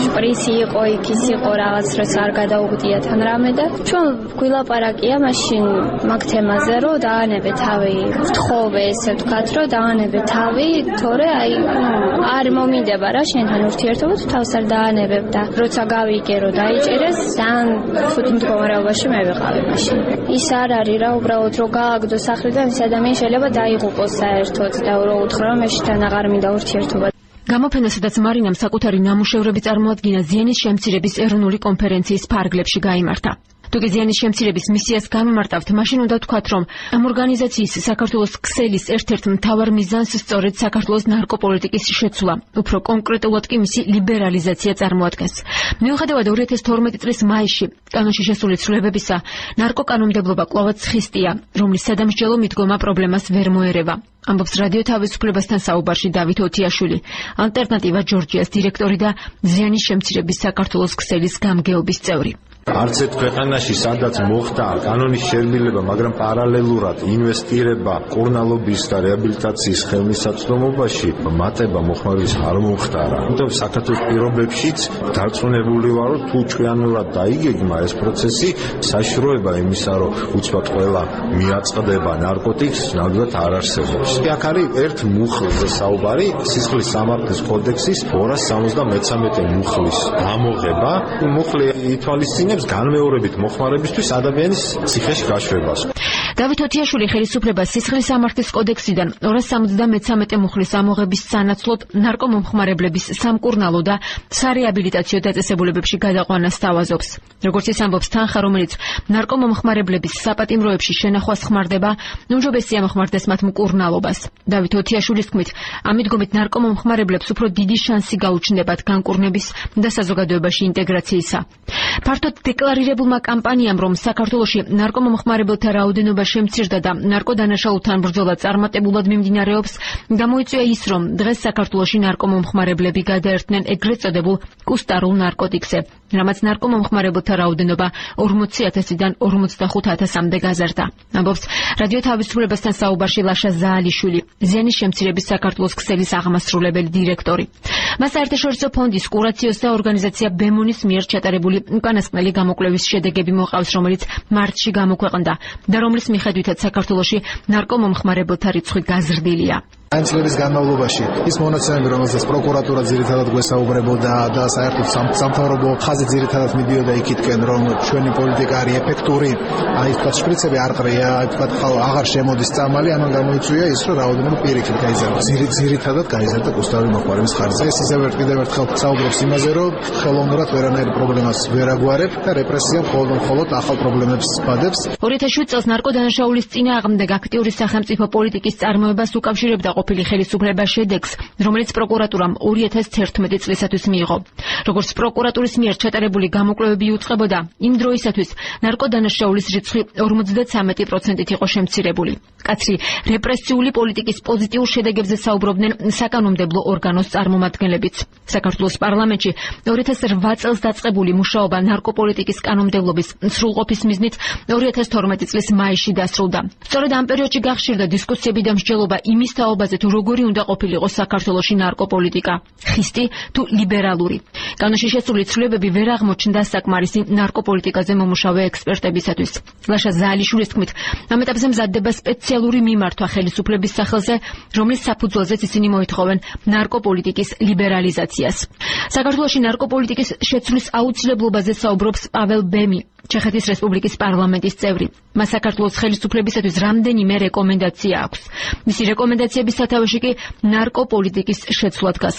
შპრიცი იყო, იქ ის იყო, რაღაც როც არ გადაუგდია თან რამე და ჩვენ გვილაპარაკია მაშინ მაგ თემაზე, რომ დაანებე თავი, ვთხოვე ესე ვთქვათ, რომ დაანებე თავი, თორე აი არ მომინდება რა შენთან ურთიერთობა, თუ თავს არ დაანებებ და როცა გავიგე რომ დაიჭირეს, ძალიან ხუთი მდგომარეობაში მე ვიყავი მაშინ. ის არ არის რა, უბრალოდ რომ გააგდო სახლიდან ის ადამიანი შეიძლება დაიღუპოს საერთოდ და რო უთხრა რომ მე შენთან აღარ მინდა ურთიერთობა. გამოფენასადაც მარინამ საკუთარი ნამუშევრები წარმოადგინა ზიანის შემცირების ეროვნული კონფერენციის ფარგლებში გაიმართა. თუ კი ზიანის შემცირების მისიას გამიმარტავთ, მაშინ უნდა თქვათ, რომ ამ ორგანიზაციის საქართველოს ქსელის ერთ-ერთ მთავარ მიზანს სწორედ საქართველოს ნარკოპოლიტიკის შეცვლა, უფრო კონკრეტულად კი მისი ლიბერალიზაცია წარმოადგენს. მიუხედავად ორი ათას თორმეტი წლის მაისში კანონში შესული ცვლილებებისა, ნარკოკანონმდებლობა კვლავაც ხისტია, რომლის სადამსჯელო მიდგომა პრობლემას ვერ მოერევა. ამბობს რადიო თავისუფლებასთან საუბარში დავით ოთიაშვილი, ალტერნატივა ჯორჯიას დირექტორი და ზიანის შემცირების საქართველოს ქსელის გამგეობის წევრი. არც ერთ ქვეყანაში სადაც მოხდა კანონის შერბილება, მაგრამ პარალელურად ინვესტირება კურნალობის და რეაბილიტაციის ხელმისაწვდომობაში მატება მოხმარების არ მომხდარა. თუმცა საქართველოს პირობებშიც დარწმუნებული ვარ, რომ თუ ჩვენურად დაიგეგმა ეს პროცესი, საშიშროება იმისა, რომ უცბად ყველა მიაწყდება ნარკოტიკს, ნამდვილად არ არსებობს. აქ არის ერთ მუხლზე საუბარი, სისხლის სამართლის კოდექსის ორას სამოცდამეცამეტე მუხლის ამოღება. მუხლი ითვალისწინებს განმეორებით მოხმარებისთვის ადამიანის ციხეში გაშვებას. დავით ოთიაშვილი ხელისუფლებას სისხლის სამართლის კოდექსიდან ორას სამოცდამეცამეტე მუხლის ამოღების სანაცვლოდ ნარკომომხმარებლების სამკურნალო და სარეაბილიტაციო დაწესებულებებში გადაყვანას სთავაზობს. როგორც ის ამბობს, თანხა, რომელიც ნარკომომხმარებლების საპატიმროებში შენახვას ხმარდება, უმჯობესია მოხმარდეს მათ მკურნალობას. დავით ოთიაშვილის თქმით, ამით ნარკომომხმარებლებს უფრო დიდი შანსი გაუჩნდებათ განკურნების და საზოგადოებაში ინტეგრაციისა. ფართოდ დეკლარირებულმა კამპანიამ, რომ საქართველოში ნარკომომხმარებელთა რაოდენობა შემცირდა და ნარკოდანაშაულთან ბრძოლა წარმატებულად მიმდინარეობს, გამოიწვია ის, რომ დღეს საქართველოში ნარკომომხმარებლები გადაერთნენ ეგრეთ წოდებულ კუსტარულ ნარკოტიკზე, რამაც ნარკომომხმარებელთა რაოდენობა ორმოცი ათასიდან ორმოცდახუთ ათასამდე გაზარდა. ამბობს რადიო თავისუფლებასთან საუბარში ლაშა ზაალიშვილი, ზიანის შემცირების საქართველოს ქსელის აღმასრულებელი დირექტორი. მას საერთაშორისო ფონდის კურაციოს და ორგანიზაცია ბემონის მიერ ჩატარებული უკანასკნელი გამოკვლევის შედეგები მოყავს, რომელიც მარტში გამოქვეყნდა და რომლის მიხედვითაც საქართველოში ნარკომომხმარებელთა რიცხვი გაზრდილია. Ein წლების განმავლობაში ის მონაცემები, რომელსაც პროკურატურა ძირითადად გვესაუბრებოდა და საერთოდ სამთავრობო ხაზი ძირითადად მიდიოდა იქითკენ, რომ ჩვენი პოლიტიკა არის ეფექტური, აი თქვა შპრიცები არ ყრია, თქვა აღარ შემოდის წამალი, ამან გამოიწვია ის, რომ რაოდენობა პირიქით გაიზარდა. ძირითადად გაიზარდა კუსტარული მოხმარების ხარჯზე. ეს ისევ კიდევ ერთხელ საუბრობს იმაზე, რომ ხელოვნურად ვერანაირ პრობლემას ვერ აგვარებ და რეპრესია მხოლოდ ახალ პრობლემებს ბადებს. ორი ათას შვიდ წელს ნარკოდანაშაულის წინააღმდეგ აქტიური სახელმწიფო პოლიტიკის წარმოებას უკავშირებდა ყოფილი ხელისუფლება შედეგს, რომელიც პროკურატურამ ორი ათას თერთმეტი წლისათვის მიიღო. როგორც პროკურატურის მიერ ჩატარებული გამოკვლევები იუწყებოდა, იმ დროისათვის ნარკოდანაშაულის რიცხვი ორმოცდათვრამეტი პროცენტით იყო შემცირებული. კაცრი რეპრესიული პოლიტიკის პოზიტიურ შედეგებზე საუბრობდნენ საკანონმდებლო ორგანოს წარმომადგენლებიც. საქართველოს პარლამენტში ორი ათას რვა წელს დაწყებული მუშაობა ნარკოპოლიტიკის კანონმდებლობის სრულყოფის მიზნით ორი ათას თორმეტი წლის მაისში დასრულდა. სწორედ ამ პერიოდში გახშირდა დისკუსიები და მსჯელობა იმის თაობაზე, თუ როგორი უნდა ყოფილიყო საქართველოში ნარკოპოლიტიკა, ხისტი თუ ლიბერალური. კანონში შესული ცვლილებები ვერ აღმოჩნდა საკმარისი ნარკოპოლიტიკაზე მომუშავე ექსპერტებისათვის. ლაშა ზაალიშვილის თქმით, ამ ეტაპზე მზადდება სპეციალური მიმართვა ხელისუფლების სახელზე, რომლის საფუძველზეც ისინი მოითხოვენ ნარკოპოლიტიკის ლიბერალიზაციას. საქართველოში ნარკოპოლიტიკის შეცვლის აუცილებლობაზე საუბრობს პაվել ბემი, ჩეხეთის რესპუბლიკის პარლამენტის წევრი. მას საქართველოს ხელისუფლებისათვის რამდენიმე რეკომენდაცია აქვს. მისი რეკომენდაციების სათავეში კი ნარკოპოლიტიკის შეცვლა დგას.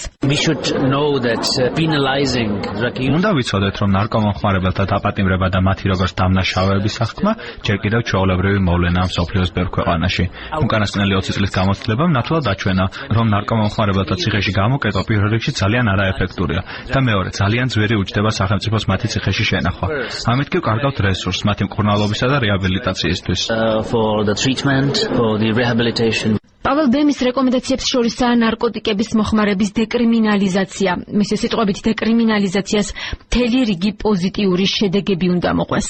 უნდა ვიცოდეთ, რომ ნარკომომხმარებელთა დაპატიმრება და მათი როგორც დამნაშავეების აღქმა ჯერ კიდევ ჩვეულებრივი მოვლენაა მსოფლიოს ბევრ ქვეყანაში. უკანასკნელი ოცი წლის გამოცდილებამ ნათლად აჩვენა, რომ ნარკომომხმარებელთა ციხეში გამოკეტვა პირველ რიგში ძალიან არაეფექტურია და მეორე ძალიან ძვირი უჯდება სახელმწიფოს მათი ციხეში შენახვა. ამით კი კარგავთ რესურსს მათი მკურნალობისა და რეაბილიტაციისთვის. პაվել ბემის რეკომენდაციებს შორისაა ნარკოტიკების მოხმარების დეკრიმინალიზაცია. მისი სიტყვებით, დეკრიმინალიზაციას მთელი რიგი პოზიტიური შედეგები უნდა მოყვეს.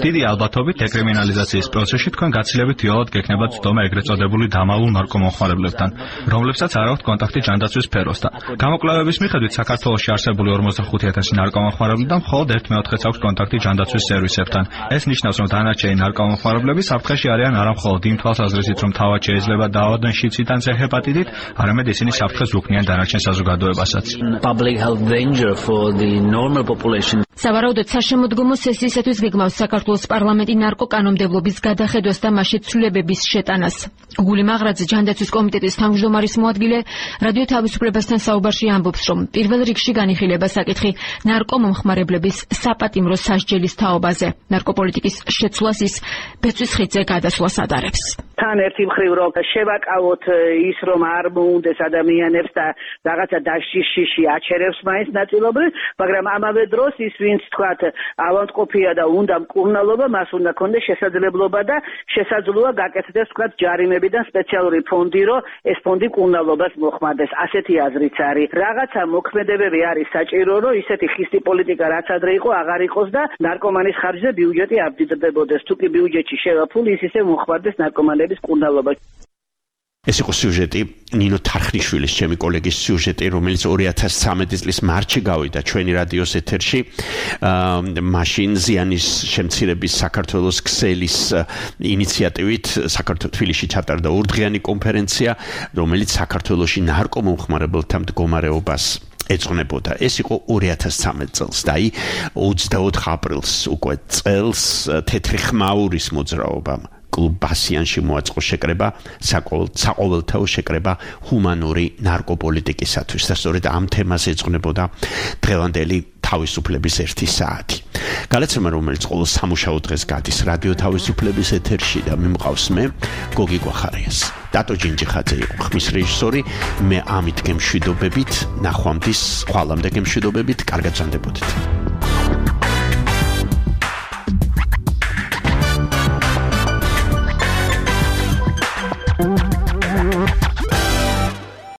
დიდი ალბათობით დეკრიმინალიზაციის პროცესში თქვენ გაცილებით იოლად გექნებათ ცდომა ეგრეთ წოდებული დამალულ ნარკომომხმარებლებთან, რომლებსაც არ აქვთ კონტაქტი ჯანდაცვის სფეროსთან. გამოკვლევების მიხედვით საქართველოში არსებული ორმოცდახუთი ათასი ნარკომომხმარებელთან მხოლოდ ერთ მეოთხედს აქვს კონტაქტი ჯანდაცვის სერვისებთან. ეს ნიშნავს, რომ დანარჩენი ნარკომომხმარებლები საფრთხეში არიან არა მხოლოდ იმ თვალსაზრისით, რომ თავად შეიძლება დაავადდნენ შიდსიდან წე ჰეპატიტით, არამედ ისინი საფრთხეს უქმნიან დანარჩენ საზოგადოებასაც. სავარაუდოდ საშემოდგომო სესიისათვის გეგმავს საქართველოს პარლამენტი ნარკოკანონმდებლობის გადახედვას და მასში ცვლილებების შეტანას. გუგული მაღრაძე, ჯანდაცვის კომიტეტის თავმჯდომარის მოადგილე, რადიო თავისუფლებასთან საუბარში ამბობს, რომ პირველ რიგში განიხილება საკითხი ნარკომომხმარებლების საპატიმრო სასჯელის თაობაზე. ნარკოპოლიტიკის შეცვლას ის ბეწვის ხიდზე გადადის. გადასვლას ადარებს. თან ერთი მხრივ რომ შევაკავოთ ის რომ არ მოუნდეს ადამიანებს და რაღაცა დაშიში აჩერებს მაინც ნაწილობრივ, მაგრამ ამავე დროს ის ვინც თქვათ ავადმყოფია და უნდა მკურნალობა, მას უნდა ქონდეს შესაძლებლობა და შესაძლოა გაკეთდეს თქვათ ჯარიმებიდან სპეციალური ფონდი, რომ ეს ფონდი მკურნალობას მოხმარდეს. ასეთი აზრიც არის. რაღაცა მოქმედებები არის საჭირო, რომ ისეთი ხისტი პოლიტიკა რაც ადრე იყო აღარ იყოს და ნარკომანის ხარჯზე ბიუჯეტი არ მდიდრდებოდეს. თუ კი ბიუჯეტში შევა ფული, ის ისე მოხმარდეს ნარკომანების მკურნალობა. ეს იყო სიუჟეტი ნინო თარხნიშვილის, ჩემი კოლეგის სიუჟეტი, რომელიც ორი ათას ცხრამეტი წლის მარტში გავიდა ჩვენი რადიოს ეთერში. მაშინ ზიანის შემცირების საქართველოს ქსელის ინიციატივით საქართველოს თბილისში ჩატარდა ორდღიანი კონფერენცია, რომელიც საქართველოში ნარკომომხმარებელთა მდგომარეობას ეძღვნებოდა. ეს იყო ორი ათას ცხრამეტი წელს და აი ოცდაოთხ აპრილს უკვე წელს თეთრი ხმაურის მოძრაობამ კლუბასიანში მოაწყო შეკრება საყოველთაო შეკრება ჰუმანური ნარკოპოლიტიკისათვის და სწორედ ამ თემას ეძღვნებოდა დღევანდელი თავისუფლების ერთი საათი. გადაცემა, რომელიც ყოველ სამუშაო დღეს გადის რადიო თავისუფლების ეთერში და მიმყავს მე გოგი გვახარიას. დატო ჯინჯიხაძე იყო ხმის რეჟისორი, მე ამით გემშვიდობებით, ნახვამდის, ხვალამდე გემშვიდობებით, კარგად ზანდებოდეთ.